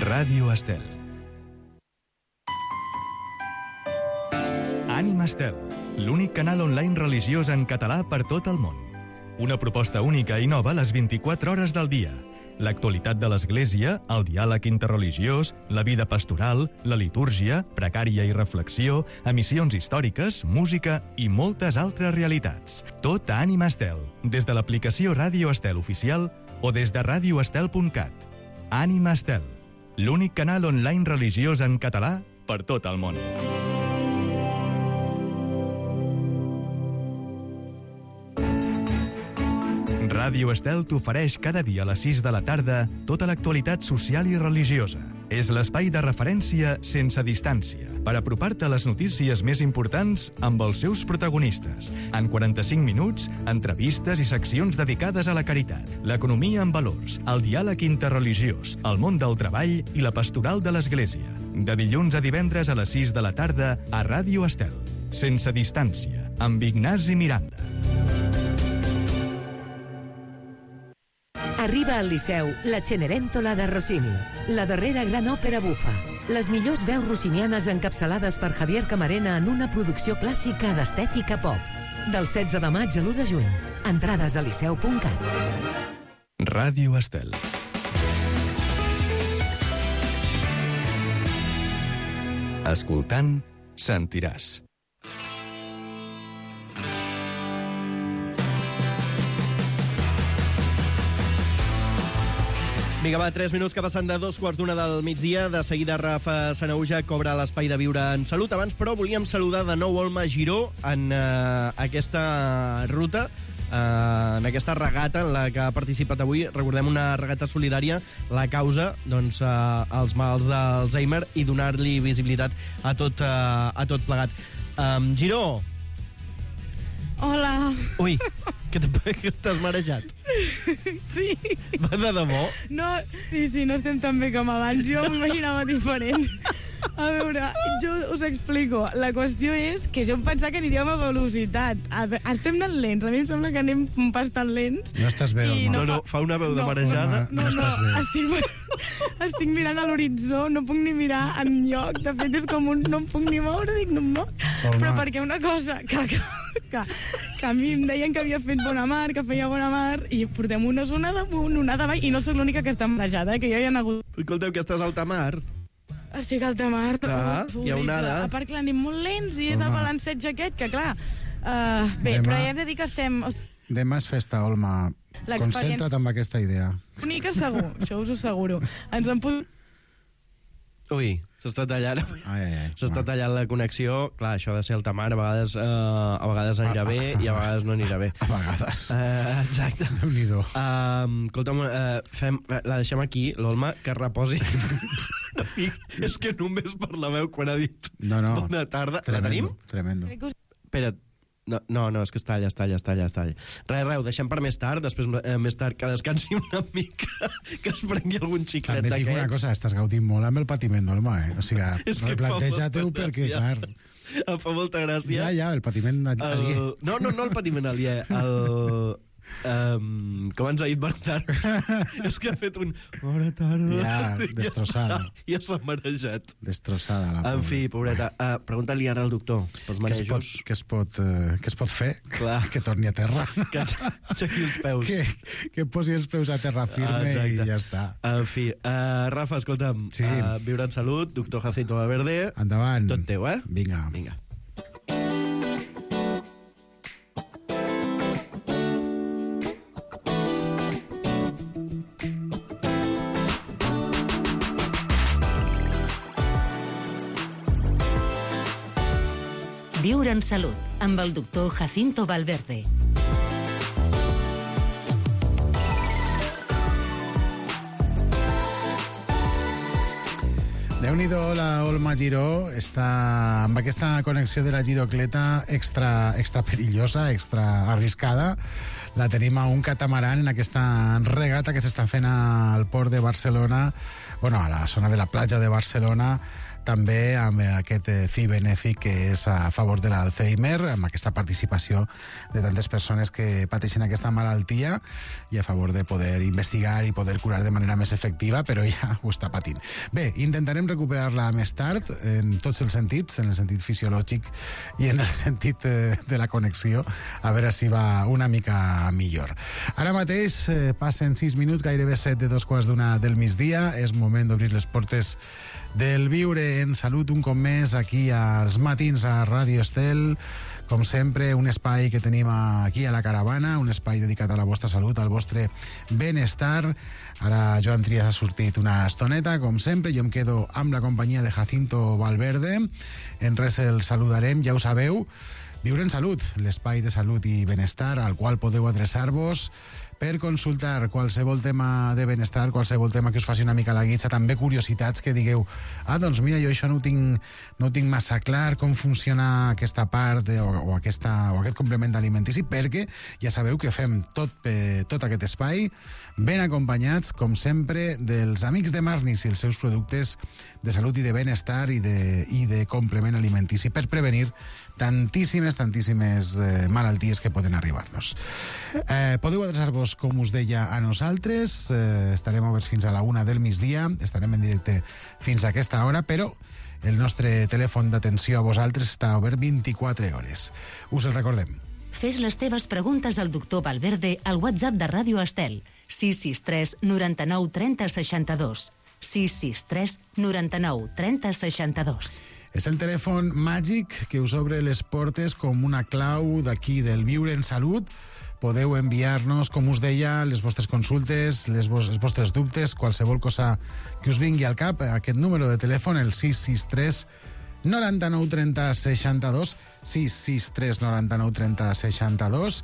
S2: Ràdio Estel. Ànima Estel, l'únic canal online religiós en català per tot el món. Una proposta única i nova a les 24 hores del dia. L'actualitat de l'Església, el diàleg interreligiós, la vida pastoral, la litúrgia, precària i reflexió, emissions històriques, música i moltes altres realitats. Tot a Ànima Estel, des de l'aplicació Ràdio Estel oficial o des de radioestel.cat. Ànima Estel, l'únic canal online religiós en català per tot el món. Ràdio Estel t'ofereix cada dia a les 6 de la tarda tota l'actualitat social i religiosa. És l'espai de referència sense distància per apropar-te a les notícies més importants amb els seus protagonistes. En 45 minuts, entrevistes i seccions dedicades a la caritat, l'economia en valors, el diàleg interreligiós, el món del treball i la pastoral de l'Església. De dilluns a divendres a les 6 de la tarda a Ràdio Estel. Sense distància, amb Ignasi Miranda.
S15: Arriba al Liceu la Cenerentola de Rossini, la darrera gran òpera bufa. Les millors veus rossinianes encapçalades per Javier Camarena en una producció clàssica d'estètica pop. Del 16 de maig a l'1 de juny. Entrades a liceu.cat.
S2: Ràdio Estel. Escoltant, sentiràs.
S11: Vinga, va, 3 minuts que passen de 2:15 del migdia. De seguida Rafa Sanauja cobra l'espai de Viure en Salut. Abans, però, volíem saludar de nou Olma Giró en aquesta ruta, en aquesta regata en la que ha participat avui. Recordem, una regata solidària, la causa, doncs, als malalts d'Alzheimer i donar-li visibilitat a tot plegat. Giró!
S14: Hola!
S11: Ui, que estàs marejat.
S14: Sí.
S11: Va de debò?
S14: No, sí, no estem tan bé com abans. Jo m'imaginava diferent. A veure, jo us explico. La qüestió és que jo em pensava que aniríem a velocitat. Estem anant lents. A mi em sembla que anem un pas tan lents.
S10: No estàs bé, Olma.
S11: No, fa una veu de marejada.
S10: No estàs bé.
S14: Estic mirant a l'horitzó, no puc ni mirar enlloc. De fet, és com no em puc ni moure, dic, no em moc. Però perquè una cosa que a mi em deien que havia fet bona mar, que feia bona mar, i portem una zona damunt, una davall, i no soc l'única que està marejada, que jo hi ha hagut...
S11: Escolteu, que estàs a alta mar?
S16: Estic al tamar.
S11: Hi ha onada.
S16: A part que l'anem molt lents i és el balanceig aquest, que clar... Bé, però ja hem de dir que estem...
S17: Demà és festa, Olma. Concentra't amb aquesta idea.
S16: Única segur, això us ho asseguro. Ens en posem...
S11: Ui, s'està tallant. S'està tallant la connexió. Clar, això de ser el tamar a vegades anirà bé i a vegades no anirà bé.
S17: A vegades.
S11: Exacte.
S17: Déu-n'hi-do.
S11: Escolta'm, la deixem aquí, l'Olma, que reposi. És que només per la veu quan ha dit bona tarda. La tenim?
S17: Tremendo.
S11: Espera't. No, és que es talla. Res, ho deixem per més tard, després més tard que descansi una mica, que es prengui algun xiclet d'aquests.
S17: També dic una cosa, estàs gaudint molt amb el patiment d'Olma, O sigui, replanteja-t'ho perquè, clar...
S11: Em fa molta gràcia.
S17: Ja, el patiment aliè.
S11: No el patiment aliè, com ens ha dit Bernat, és que ha fet un... Bona tarda.
S17: Ja, destrossada.
S11: Ja s'ha marejat.
S17: Destrossada, la pobra.
S11: En fi, pobreta, pregunta-li ara al doctor pels marejos.
S17: Què es pot fer?
S11: Clar.
S17: Que torni a terra.
S11: Que aixequi els peus.
S17: Que posi els peus a terra firme i ja està.
S11: En fi, Rafa, escolta'm, viure en salut, doctor Jacinto Valverde.
S17: Endavant.
S11: Tot teu,
S17: Vinga.
S8: Viure en salut, amb el doctor Jacinto Valverde.
S17: Déu-n'hi-do, la Olma Giró està amb aquesta connexió de la girocleta extra perillosa, extra arriscada. La tenim a un catamaran en aquesta regata que s'està fent al port de Barcelona, a la zona de la platja de Barcelona, també amb aquest fi benèfic que és a favor de l'Alzheimer, amb aquesta participació de tantes persones que pateixen aquesta malaltia i a favor de poder investigar i poder curar de manera més efectiva, però ja ho està patint. Bé, intentarem recuperar-la més tard en tots els sentits, en el sentit fisiològic i en el sentit de la connexió, a veure si va una mica millor. Ara mateix passen 6 minuts, gairebé 7 de 2:15 del migdia, és moment d'obrir les portes del Viure en Salut un cop més aquí als matins a Ràdio Estel. Com sempre, un espai que tenim aquí a la caravana, un espai dedicat a la vostra salut, al vostre benestar. Ara Joan Trias ha sortit una estoneta, com sempre, jo em quedo amb la companyia de Jacinto Valverde. En res el saludarem, ja ho sabeu. Viure en Salut, l'espai de salut i benestar al qual podeu adreçar-vos per consultar qualsevol tema de benestar, qualsevol tema que us faci una mica la guitza, també curiositats que digueu, doncs mira, jo això no ho tinc massa clar, com funciona aquesta part o aquest complement alimentici, perquè ja sabeu que fem tot aquest espai ben acompanyats, com sempre, dels amics de Marnis i els seus productes de salut i de benestar i de complement alimentici per prevenir tantíssimes malalties que poden arribar-nos. Podeu adreçar-vos, com us deia, a nosaltres. Estarem oberts fins a la 1 del migdia, estarem en directe fins a aquesta hora, però el nostre telèfon d'atenció a vosaltres està obert 24 hores. Us el recordem.
S8: Fes les teves preguntes al doctor Valverde al WhatsApp de Ràdio Estel, 663 99 30 62. 663 99 30 62.
S17: És el telèfon màgic que us obre les portes com una clau d'aquí del Viure en Salut. Podeu enviar-nos, com us deia, les vostres consultes, els vostres dubtes, qualsevol cosa que us vingui al cap. Aquest número de telèfon, el 663 99 30 62, 663 99 30 62.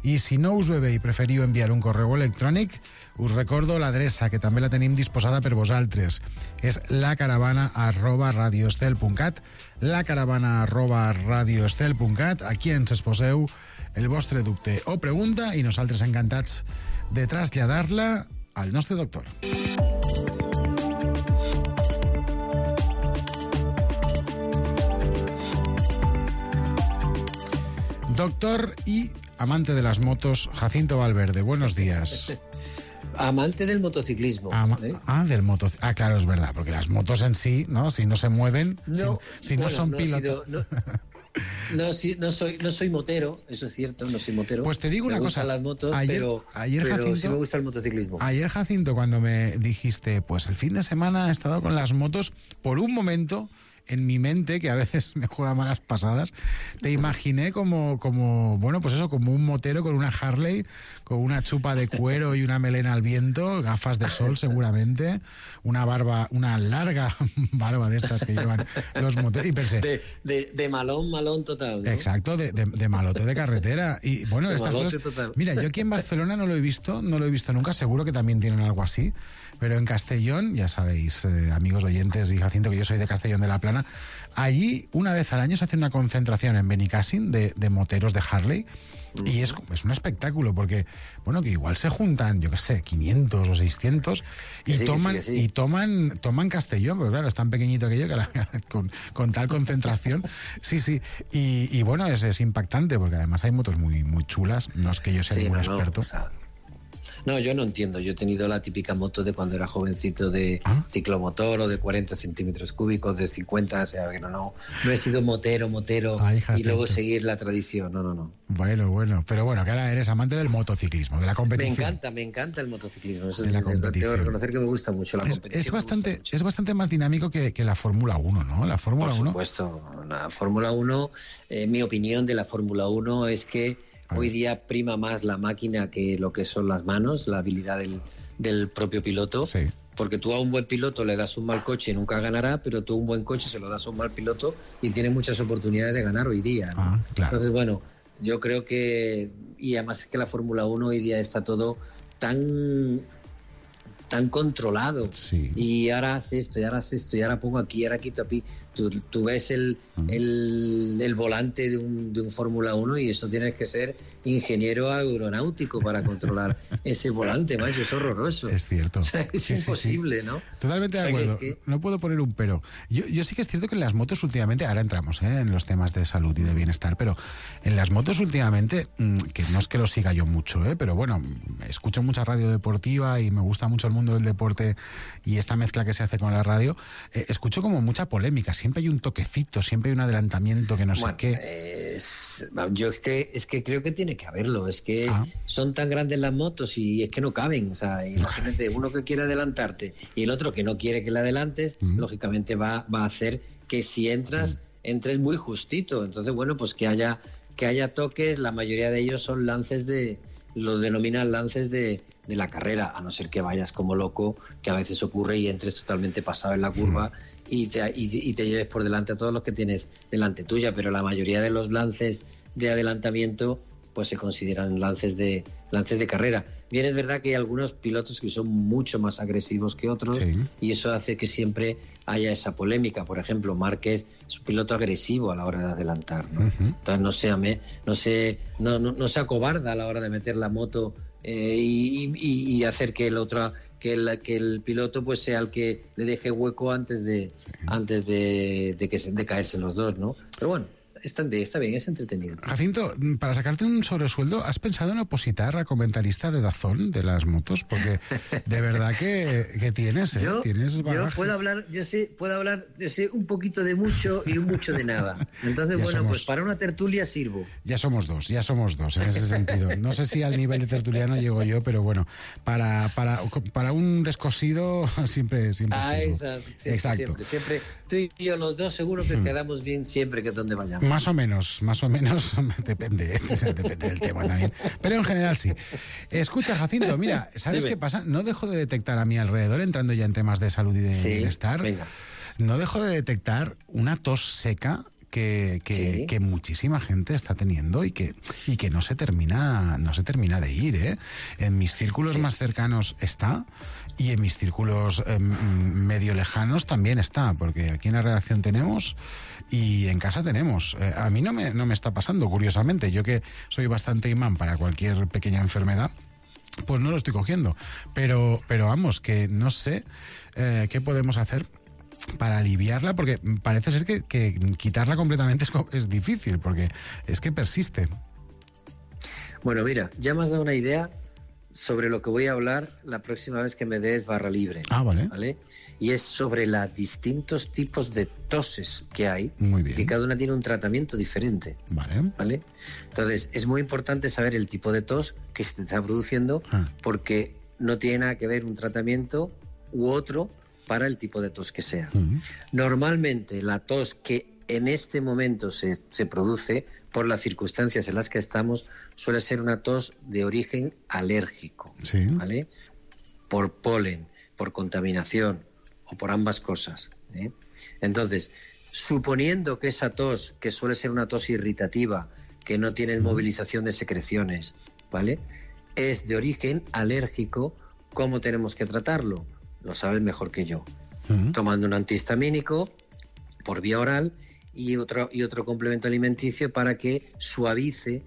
S17: I si no us ve bé i preferiu enviar un correu electrònic, us recordo l'adreça, que també la tenim disposada per vosaltres. És lacaravana@radioestel.cat, lacaravana@radioestel.cat. Aquí ens exposeu el vostre dubte o pregunta i nosaltres encantats de traslladar-la al nostre doctor. Doctor y amante de las motos, Jacinto Valverde, buenos días.
S18: Amante del motociclismo.
S17: Del motociclismo. Claro, es verdad, porque las motos en sí, ¿no? Si no se mueven, si no son pilotos...
S18: No, sí, no soy motero, eso es cierto, no soy motero.
S17: Pues te digo una cosa.
S18: Me gustan las motos,
S17: Ayer,
S18: pero
S17: Jacinto,
S18: sí me gusta el motociclismo.
S17: Ayer, Jacinto, cuando me dijiste, pues el fin de semana he estado con las motos, por un momento, en mi mente, que a veces me juega malas pasadas, te imaginé como bueno, pues eso, como un motero con una Harley, con una chupa de cuero y una melena al viento, gafas de sol seguramente, una larga barba de estas que llevan los moteros, y pensé...
S18: De malón total, ¿no?
S17: Exacto, de malote de carretera. Y bueno, estas cosas...
S18: Total.
S17: Mira, yo aquí en Barcelona no lo he visto nunca, seguro que también tienen algo así, pero en Castellón, ya sabéis, amigos oyentes y Jacinto, que yo soy de Castellón de la Plana, allí una vez al año se hace una concentración en Benicàssim de moteros de Harley, y es un espectáculo, porque, bueno, que igual se juntan, yo qué sé, 500 o 600 y toman Castellón, porque claro, es tan pequeñito aquello que con tal concentración, sí, y bueno, es impactante, porque además hay motos muy, muy chulas, no es que yo sea ningún experto.
S18: No, yo no entiendo. Yo he tenido la típica moto de cuando era jovencito de ciclomotor o de 40 centímetros cúbicos, de 50, o sea, que no he sido motero. Ay, y luego seguir la tradición, no.
S17: Bueno, pero bueno, que ahora eres amante del motociclismo, de la competición.
S18: Me encanta el motociclismo. Eso
S17: de la competición.
S18: Tengo que reconocer que me gusta mucho la competición.
S17: Es bastante más dinámico que la Fórmula 1, ¿no? La Fórmula 1.
S18: Por supuesto. La Fórmula 1, mi opinión de la Fórmula 1 es que hoy día prima más la máquina que lo que son las manos, la habilidad del propio piloto. Sí. Porque tú a un buen piloto le das un mal coche y nunca ganará, pero tú un buen coche se lo das a un mal piloto y tiene muchas oportunidades de ganar hoy día, ¿no? Claro. Entonces, bueno, yo creo que... Y además que la Fórmula 1 hoy día está todo tan controlado. Sí. Y ahora hace esto, y ahora pongo aquí, y ahora quito aquí. Tú ves el volante de un Fórmula 1 y eso tienes que ser ingeniero aeronáutico para controlar ese volante, macho, es horroroso.
S17: Es cierto.
S18: O sea, es imposible, ¿no?
S17: Totalmente de acuerdo. No puedo poner un pero. Yo sí que es cierto que en las motos últimamente, ahora entramos en los temas de salud y de bienestar, pero en las motos últimamente, que no es que lo siga yo mucho, pero bueno, escucho mucha radio deportiva y me gusta mucho el mundo del deporte y esta mezcla que se hace con la radio, escucho como mucha polémica. Siempre hay un toquecito, siempre hay un adelantamiento que no sé qué.
S18: Yo es que creo que tiene que haberlo. Es que son tan grandes las motos y es que no caben. O sea, imagínate, uno que quiere adelantarte y el otro que no quiere que le adelantes, lógicamente va a hacer que si entres muy justito. Entonces, bueno, pues que haya toques. La mayoría de ellos son lances los denominan lances de la carrera, a no ser que vayas como loco, que a veces ocurre y entres totalmente pasado en la curva y te lleves por delante a todos los que tienes delante tuya, pero la mayoría de los lances de adelantamiento pues se consideran lances de carrera. Bien, es verdad que hay algunos pilotos que son mucho más agresivos que otros, y eso hace que siempre haya esa polémica. Por ejemplo, Márquez es un piloto agresivo a la hora de adelantar, ¿no? Entonces no se acobarda a la hora de meter la moto y hacer que el piloto pues sea el que le deje hueco antes de caerse los dos, ¿no? Pero bueno, está bien, es entretenido.
S17: Jacinto, para sacarte un sobresueldo, ¿has pensado en opositar a comentarista de DAZN de las motos? Porque de verdad que tienes, tienes bagaje.
S18: Yo puedo hablar un poquito de mucho y un mucho de nada. Entonces, pues para una tertulia sirvo.
S17: Ya somos dos en ese sentido. No sé si al nivel de tertuliano llego yo, pero bueno, para un descosido siempre sirvo.
S18: Exacto. Siempre. Tú y yo los dos seguro que quedamos bien siempre que donde vayamos.
S17: Más o menos, depende del tema también. Pero en general sí. Escucha, Jacinto, mira, ¿sabes qué pasa? No dejo de detectar a mi alrededor, entrando ya en temas de salud y de bienestar, no dejo de detectar una tos seca que muchísima gente está teniendo y que no se termina de ir, ¿eh? En mis círculos más cercanos está, y en mis círculos medio lejanos también está, porque aquí en la redacción tenemos y en casa tenemos. A mí no me está pasando, curiosamente. Yo que soy bastante imán para cualquier pequeña enfermedad, pues no lo estoy cogiendo. Pero vamos, que no sé qué podemos hacer para aliviarla, porque parece ser que quitarla completamente es difícil, porque es que persiste.
S18: Bueno, mira, ya me has dado una idea sobre lo que voy a hablar la próxima vez que me des barra libre.
S17: Vale.
S18: Y es sobre los distintos tipos de toses que hay.
S17: Muy bien.
S18: Que cada una tiene un tratamiento diferente.
S17: Vale.
S18: Entonces, es muy importante saber el tipo de tos que se te está produciendo, porque no tiene nada que ver un tratamiento u otro para el tipo de tos que sea. Normalmente, la tos que en este momento se produce, por las circunstancias en las que estamos, suele ser una tos de origen alérgico, ¿vale? Por polen, por contaminación o por ambas cosas, ¿eh? Entonces, suponiendo que esa tos, que suele ser una tos irritativa, que no tiene movilización de secreciones, ¿vale?, es de origen alérgico, ¿cómo tenemos que tratarlo? Lo sabes mejor que yo. Tomando un antihistamínico por vía oral y otro complemento alimenticio para que suavice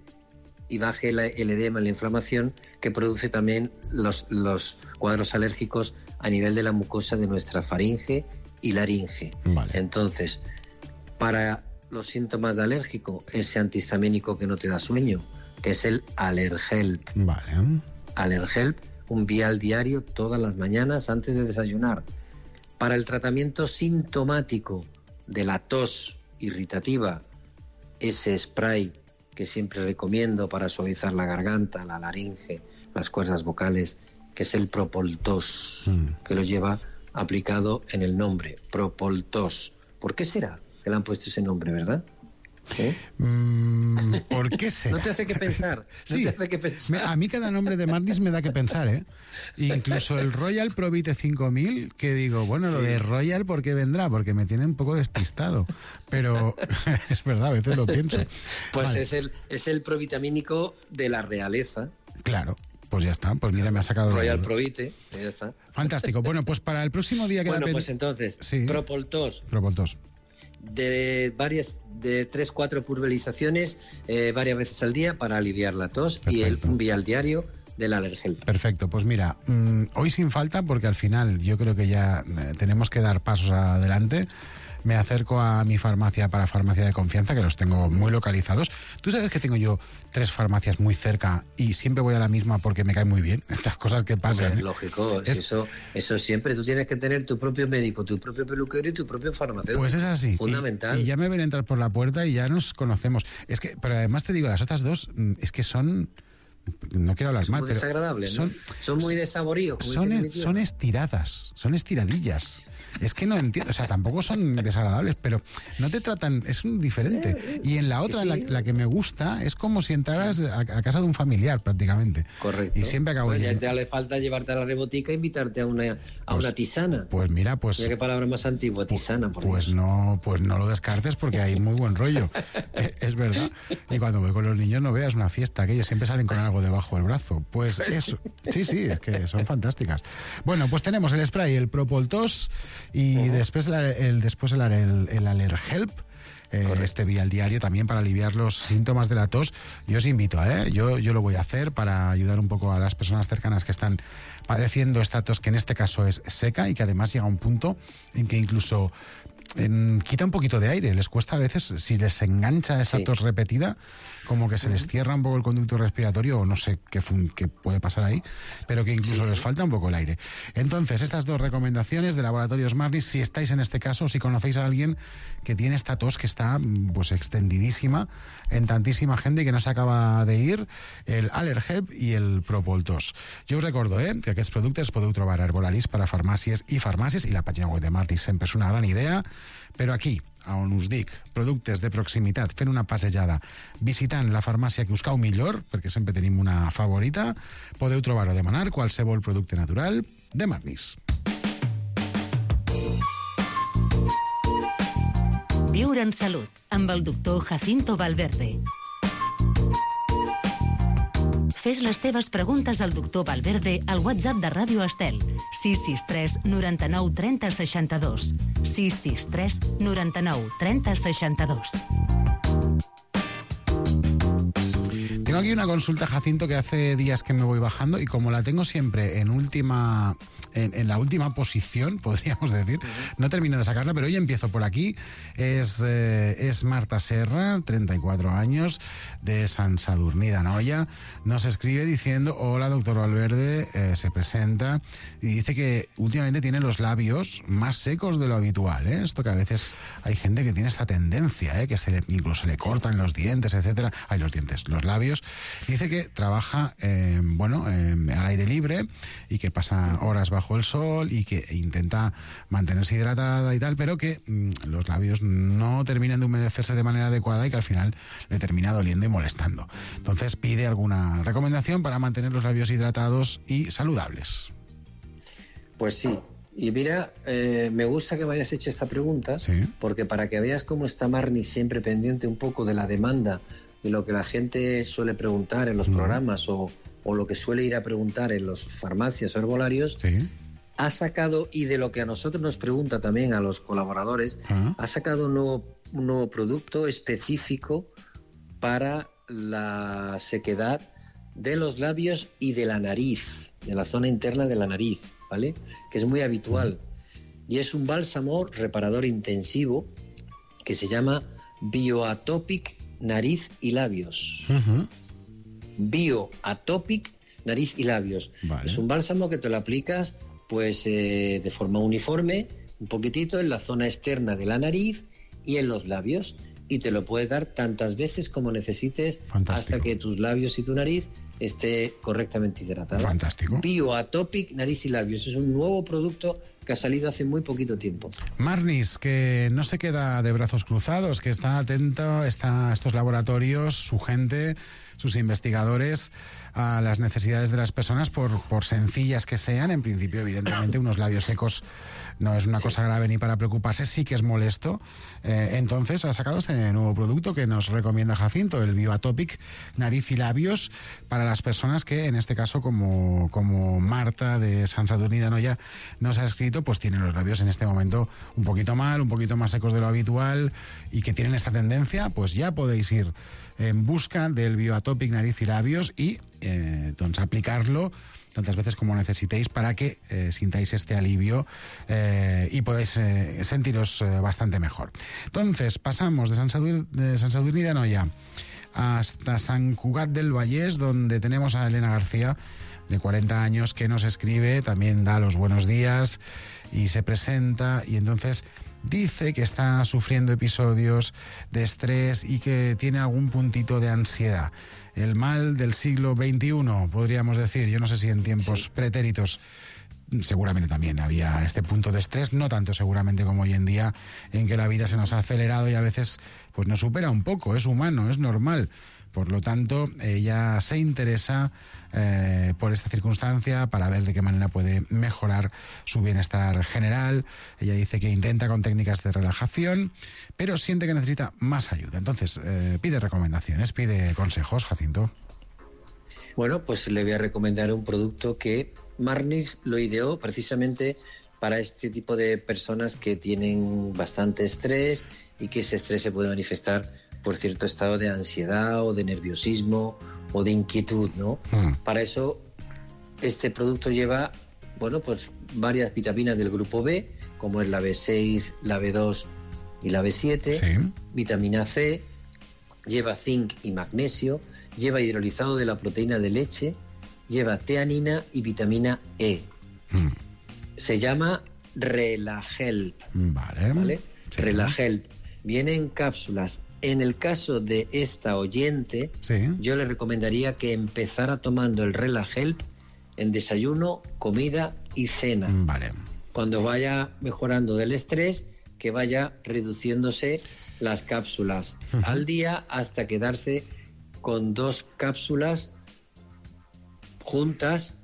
S18: y baje el edema, la inflamación que produce también los cuadros alérgicos a nivel de la mucosa de nuestra faringe y laringe. Entonces, para los síntomas de alérgico, ese antihistamínico que no te da sueño, que es el Allerhelp. Allerhelp, un vial diario todas las mañanas antes de desayunar. Para el tratamiento sintomático de la tos irritativa, ese spray que siempre recomiendo para suavizar la garganta, la laringe, las cuerdas vocales, que es el Propoltos, que lo lleva aplicado en el nombre, Propoltos. ¿Por qué será que le han puesto ese nombre, verdad? ¿Eh?
S17: ¿Por qué será?
S18: No te hace que pensar.
S17: Sí. A mí cada nombre de Marnis me da que pensar, ¿eh? Incluso el Royal Provite 5000, que digo, bueno, lo de Royal, ¿por qué vendrá? Porque me tiene un poco despistado. Pero es verdad, a veces lo pienso.
S18: Pues es el provitamínico de la realeza.
S17: Claro. Pues ya está, pues mira, me ha sacado...
S18: Royal Provite, ya está.
S17: Fantástico. Bueno, pues para el próximo día...
S18: Pues entonces, Propoltos. De 3-4 pulverizaciones varias veces al día para aliviar la tos. Perfecto. Y un vial diario del Allerhelp.
S17: Perfecto, pues mira, hoy sin falta, porque al final yo creo que ya tenemos que dar pasos adelante. Me acerco a mi farmacia de confianza, que los tengo muy localizados. Tú sabes que tengo yo 3 farmacias muy cerca y siempre voy a la misma porque me cae muy bien. Estas cosas que pasan.
S18: Hombre, lógico, eso siempre. Tú tienes que tener tu propio médico, tu propio peluquero y tu propio farmacéutico.
S17: Pues es así.
S18: Fundamental.
S17: Y ya me ven entrar por la puerta y ya nos conocemos. Pero además te digo, las otras 2 es que son... No quiero hablar mal, pero...
S18: desagradables, ¿no? Son muy desaboríos.
S17: Son estiradas, son estiradillas. Es que no entiendo, o sea, tampoco son desagradables, pero no te tratan, es un diferente. Y en la otra, la que me gusta, es como si entraras a casa de un familiar, prácticamente.
S18: Correcto.
S17: Y siempre acabo
S18: ya te le falta llevarte a la rebotica e invitarte a una tisana.
S17: Pues mira, pues...
S18: Mira qué palabra más antigua, tisana.
S17: Pues no lo descartes porque hay muy buen rollo. Es verdad. Y cuando voy con los niños no veas una fiesta, que ellos siempre salen con algo debajo del brazo. Pues eso. Sí, es que son fantásticas. Bueno, pues tenemos el spray, el Propoltos, y después el Allerhelp, este vial diario también para aliviar los síntomas de la tos. Yo os invito, yo lo voy a hacer para ayudar un poco a las personas cercanas que están padeciendo esta tos, que en este caso es seca y que además llega a un punto en que incluso quita un poquito de aire. Les cuesta a veces, si les engancha esa tos repetida, como que se les cierra un poco el conducto respiratorio, o no sé qué puede pasar ahí, pero que incluso les falta un poco el aire. Entonces, estas 2 recomendaciones de Laboratorios Marnis, si estáis en este caso, si conocéis a alguien que tiene esta tos que está pues extendidísima en tantísima gente y que no se acaba de ir, el Allerhelp y el Propoltos. Jo us recordo que aquests productes podeu trobar a Herbolaris per a farmàcies i la pàgina web de Marnis sempre és una gran idea, però aquí, on us dic, productes de proximitat, fent una passejada, visitant la farmàcia que us cau millor, perquè sempre tenim una favorita, podeu trobar o demanar qualsevol producte natural de Marnis.
S8: Viure en salut, amb el doctor Jacinto Valverde. Fes les teves preguntes al doctor Valverde al WhatsApp de Ràdio Estel, 663 99 30 62. 663 99 30 62.
S17: Tengo aquí una consulta, Jacinto, que hace días que me voy bajando y como la tengo siempre en la última posición, podríamos decir, no termino de sacarla, pero hoy empiezo por aquí. Es Marta Serra, 34 años, de Sant Sadurní d'Anoia. Nos escribe diciendo: hola, doctor Valverde, se presenta y dice que últimamente tiene los labios más secos de lo habitual, ¿eh? Esto que a veces hay gente que tiene esta tendencia, que incluso se le cortan los dientes, etcétera. Los labios. Dice que trabaja al aire libre y que pasa horas bajo el sol y que intenta mantenerse hidratada y tal, pero que los labios no terminan de humedecerse de manera adecuada y que al final le termina doliendo y molestando. Entonces pide alguna recomendación para mantener los labios hidratados y saludables.
S18: Pues sí. Y mira, me gusta que me hayas hecho esta pregunta, ¿sí? Porque para que veas cómo está Marni siempre pendiente un poco de la demanda, de lo que la gente suele preguntar en los programas o lo que suele ir a preguntar en las farmacias o herbolarios, ¿sí? Ha sacado, y de lo que a nosotros nos pregunta también a los colaboradores, ha sacado un nuevo producto específico para la sequedad de los labios y de la nariz, de la zona interna de la nariz, ¿vale? Que es muy habitual. Y es un bálsamo reparador intensivo que se llama Bioatopic Nariz y Labios. Bioatopic Nariz y Labios. Vale. Es un bálsamo que te lo aplicas pues de forma uniforme, un poquitito en la zona externa de la nariz y en los labios. Y te lo puedes dar tantas veces como necesites. Fantástico. Hasta que tus labios y tu nariz esté correctamente hidratado.
S17: Fantástico.
S18: Bioatopic Nariz y Labios. Es un nuevo producto que ha salido hace muy poquito tiempo.
S17: Marnis, que no se queda de brazos cruzados, que está atento a estos laboratorios, su gente, sus investigadores, a las necesidades de las personas, por sencillas que sean. En principio, evidentemente, unos labios secos no es una cosa grave ni para preocuparse, sí que es molesto. Entonces ha sacado este nuevo producto que nos recomienda Jacinto, el Bioatopic Nariz y Labios, para las personas que, en este caso, como Marta de Sant Sadurní d'Anoia nos ha escrito, pues tienen los labios en este momento un poquito mal, un poquito más secos de lo habitual y que tienen esta tendencia. Pues ya podéis ir en busca del Bioatopic Nariz y Labios y entonces aplicarlo tantas veces como necesitéis para que sintáis este alivio y podáis sentiros bastante mejor. Entonces, pasamos de Sant Sadurní d'Anoia hasta Sant Cugat del Vallès, donde tenemos a Elena García, de 40 años, que nos escribe, también da los buenos días y se presenta, y entonces dice que está sufriendo episodios de estrés y que tiene algún puntito de ansiedad. El mal del siglo XXI, podríamos decir. Yo no sé si en tiempos pretéritos seguramente también había este punto de estrés, no tanto seguramente como hoy en día, en que la vida se nos ha acelerado y a veces pues nos supera un poco. Es humano, es normal. Por lo tanto, ella se interesa por esta circunstancia para ver de qué manera puede mejorar su bienestar general. Ella dice que intenta con técnicas de relajación, pero siente que necesita más ayuda. Entonces, pide recomendaciones, pide consejos, Jacinto.
S18: Bueno, pues le voy a recomendar un producto que Marnis lo ideó precisamente para este tipo de personas que tienen bastante estrés y que ese estrés se puede manifestar por cierto estado de ansiedad o de nerviosismo o de inquietud, ¿no? Para eso este producto lleva, bueno, pues varias vitaminas del grupo B, como es la B6, la B2 y la B7, sí. Vitamina C, lleva zinc y magnesio, lleva hidrolizado de la proteína de leche, lleva teanina y vitamina E. Se llama Relahelp. ¿Vale? Sí. Relahelp. Viene en cápsulas. En el caso de esta oyente, sí, yo le recomendaría que empezara tomando el Relahelp en desayuno, comida y cena.
S17: Vale.
S18: Cuando vaya mejorando del estrés, que vaya reduciéndose las cápsulas al día hasta quedarse con 2 cápsulas juntas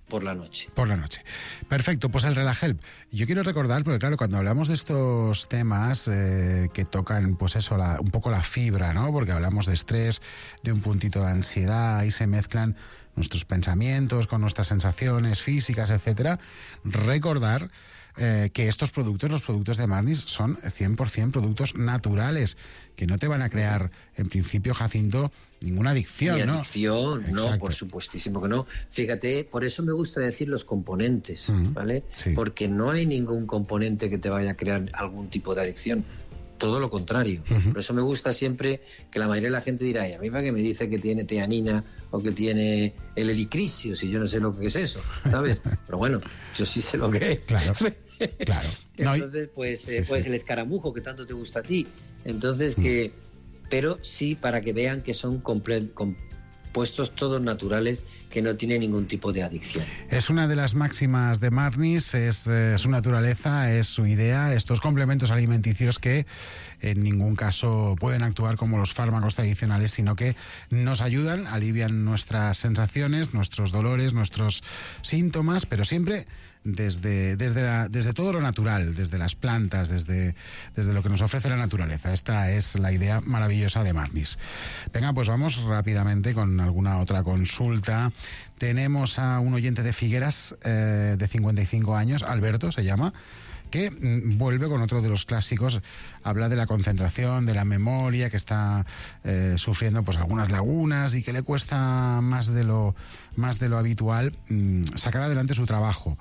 S18: por la noche.
S17: Por la noche. Perfecto, pues el Relahelp. Yo quiero recordar, porque claro, cuando hablamos de estos temas que tocan, pues eso, un poco la fibra, ¿no? Porque hablamos de estrés, de un puntito de ansiedad, y se mezclan nuestros pensamientos con nuestras sensaciones físicas, etcétera. Recordar que estos productos, los productos de Marnis, son 100% productos naturales, que no te van a crear, en principio, Jacinto, ninguna adicción,
S18: Ni
S17: ¿no?
S18: adicción,
S17: Exacto.
S18: no, por supuestísimo que no. Fíjate, por eso me gusta decir los componentes, ¿vale?
S17: Sí.
S18: Porque no hay ningún componente que te vaya a crear algún tipo de adicción. Todo lo contrario. Por eso me gusta siempre que la mayoría de la gente dirá, a mí que me dice que tiene teanina o que tiene el helicrisio, si yo no sé lo que es eso, ¿sabes? Pero bueno, yo sí sé lo que es.
S17: Claro.
S18: Entonces, pues el escaramujo que tanto te gusta a ti. Entonces, pero sí para que vean que son compuestos todos naturales, que no tiene ningún tipo de adicción.
S17: Es una de las máximas de Marnis, es su naturaleza, es su idea, estos complementos alimenticios que en ningún caso pueden actuar como los fármacos tradicionales, sino que nos ayudan, alivian nuestras sensaciones, nuestros dolores, nuestros síntomas, pero siempre desde todo lo natural, desde las plantas, desde lo que nos ofrece la naturaleza. Esta es la idea maravillosa de Marnis. Venga, pues vamos rápidamente con alguna otra consulta. Tenemos a un oyente de Figueras de 55 años, Alberto se llama, que vuelve con otro de los clásicos. Habla de la concentración, de la memoria, que está sufriendo pues algunas lagunas y que le cuesta más de lo habitual sacar adelante su trabajo,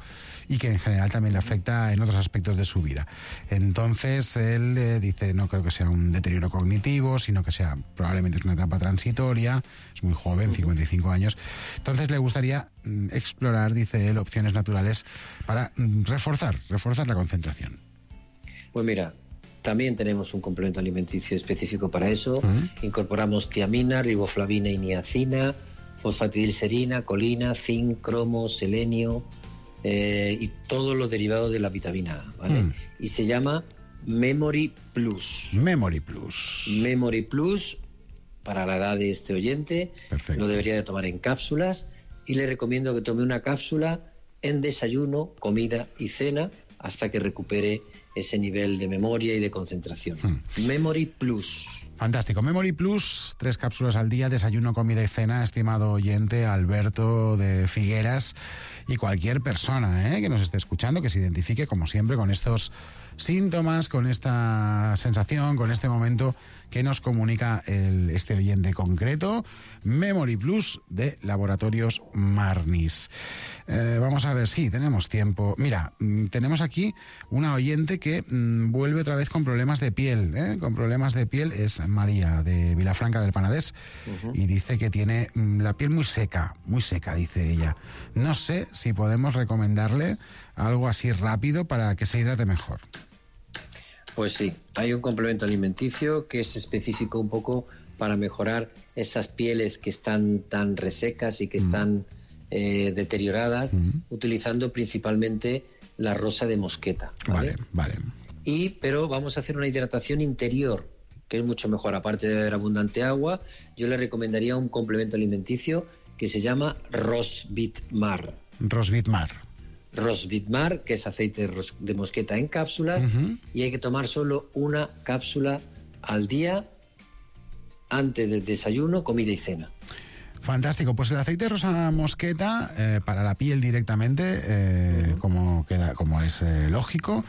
S17: y que en general también le afecta en otros aspectos de su vida. Entonces él dice, no creo que sea un deterioro cognitivo, sino que probablemente es una etapa transitoria, es muy joven, 55 años. Entonces le gustaría explorar, dice él, opciones naturales para reforzar la concentración.
S18: Pues mira, también tenemos un complemento alimenticio específico para eso. Incorporamos tiamina, riboflavina y niacina, fosfatidilcerina, colina, zinc, cromo, selenio, y todos los derivados de la vitamina A, ¿vale? Y se llama Memory Plus.
S17: Memory Plus.
S18: Memory Plus, para la edad de este oyente. Perfecto. Lo debería de tomar en cápsulas, y le recomiendo que tome una cápsula en desayuno, comida y cena hasta que recupere ese nivel de memoria y de concentración. Memory Plus.
S17: Fantástico. Memory Plus, 3 cápsulas al día, desayuno, comida y cena, estimado oyente Alberto de Figueras, y cualquier persona que nos esté escuchando, que se identifique, como siempre, con estos síntomas, con esta sensación, con este momento que nos comunica este oyente concreto. Memory Plus de Laboratorios Marnis. Vamos a ver, sí, tenemos tiempo. Mira, tenemos aquí una oyente que vuelve otra vez con problemas de piel. Con problemas de piel, es María de Vilafranca del Penedès, y dice que tiene la piel muy seca, dice ella. No sé si podemos recomendarle algo así rápido para que se hidrate mejor.
S18: Pues sí, hay un complemento alimenticio que es específico un poco para mejorar esas pieles que están tan resecas y que están deterioradas, utilizando principalmente la rosa de mosqueta.
S17: Vale.
S18: Pero vamos a hacer una hidratación interior, que es mucho mejor. Aparte de beber abundante agua, yo le recomendaría un complemento alimenticio que se llama Rosvitmar. Rosvitmar, que es aceite de mosqueta en cápsulas, y hay que tomar solo una cápsula al día antes del desayuno, comida y cena.
S17: Fantástico, pues el aceite de rosa mosqueta para la piel directamente, como es lógico.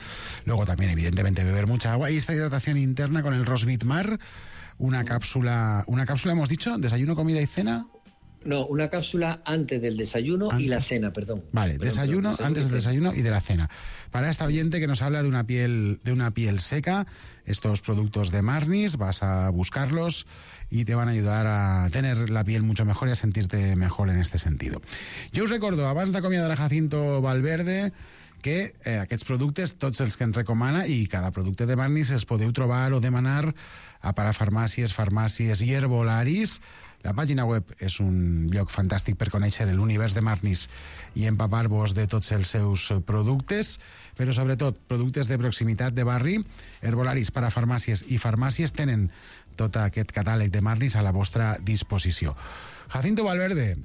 S17: Luego también, evidentemente, beber mucha agua, y esta hidratación interna con el Rosvitmar, una cápsula hemos dicho, desayuno, comida y cena.
S18: No, una cápsula antes del desayuno y la cena, perdón.
S17: Vale, desayuno, antes del desayuno y de la cena. Para esta oyente que nos habla de una piel seca, estos productos de Marnis, vas a buscarlos y te van a ayudar a tener la piel mucho mejor y a sentirte mejor en este sentido. Jo us recordo, abans d'acomiadar a Jacinto Valverde, que aquests productes, tots els que ens recomana, i cada producte de Marnis els podeu trobar o demanar a parafarmàcies, farmàcies i herbolaris. La pàgina web és un lloc fantàstic per conèixer l'univers de Marnis i empapar-vos de tots els seus productes, però sobretot productes de proximitat de barri. Herbolaris, parafarmàcies i farmàcies tenen tot aquest catàleg de Marnis a la vostra disposició. Jacinto Valverde,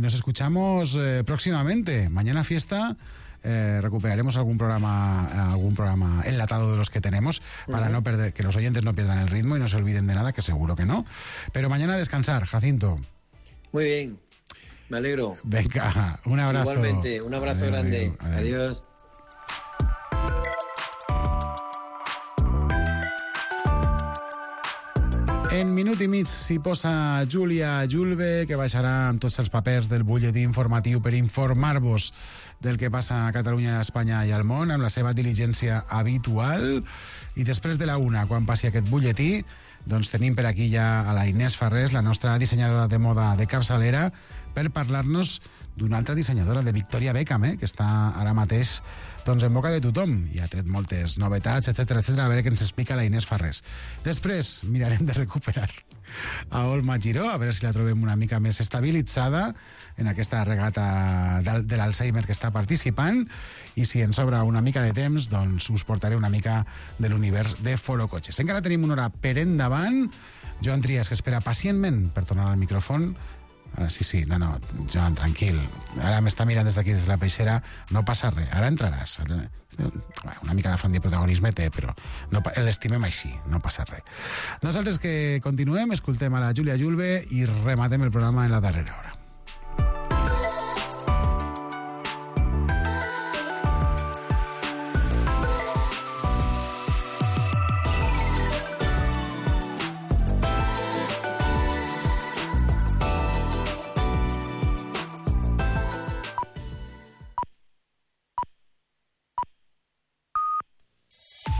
S17: nos escuchamos próximamente. Mañana fiesta. Recuperaremos algún programa enlatado de los que tenemos para no perder, que los oyentes no pierdan el ritmo y no se olviden de nada, que seguro que no. Pero mañana descansar, Jacinto.
S18: Muy bien, me alegro.
S17: Venga, un abrazo.
S18: Igualmente, un abrazo grande. Adiós.
S17: En minut i mig s'hi posa Júlia Julve, que baixarà amb tots els papers del butlletí informatiu per informar-vos del que passa a Catalunya, a Espanya i al món, amb la seva diligència habitual. I després de la una, quan passi aquest butlletí, doncs tenim per aquí ja a la Inés Farrés, la nostra dissenyadora de moda de capçalera, per parlar-nos d'una altra dissenyadora, de Victoria Beckham, que està ara mateix doncs, en boca de tothom. I ha tret moltes novetats, etc. A veure què ens explica la Inés Farrés. Després mirarem de recuperar a Olma Giró, a veure si la trobem una mica més estabilitzada en aquesta regata de l'Alzheimer que està participant, i si ens sobra una mica de temps, doncs us portaré una mica de l'univers de Foro Cotxes. Encara tenim una hora per endavant. Joan Trias, que espera pacientment per tornar al micròfon. Ara sí, no, Joan, tranquil. Ara m'està mirant des d'aquí, des de la peixera. No passa res, ara entraràs. Una mica d'afany de protagonisme té, però l'estimem així, no passa res. Nosaltres que continuem, escoltem a la Júlia Julve i rematem el programa en la darrera hora.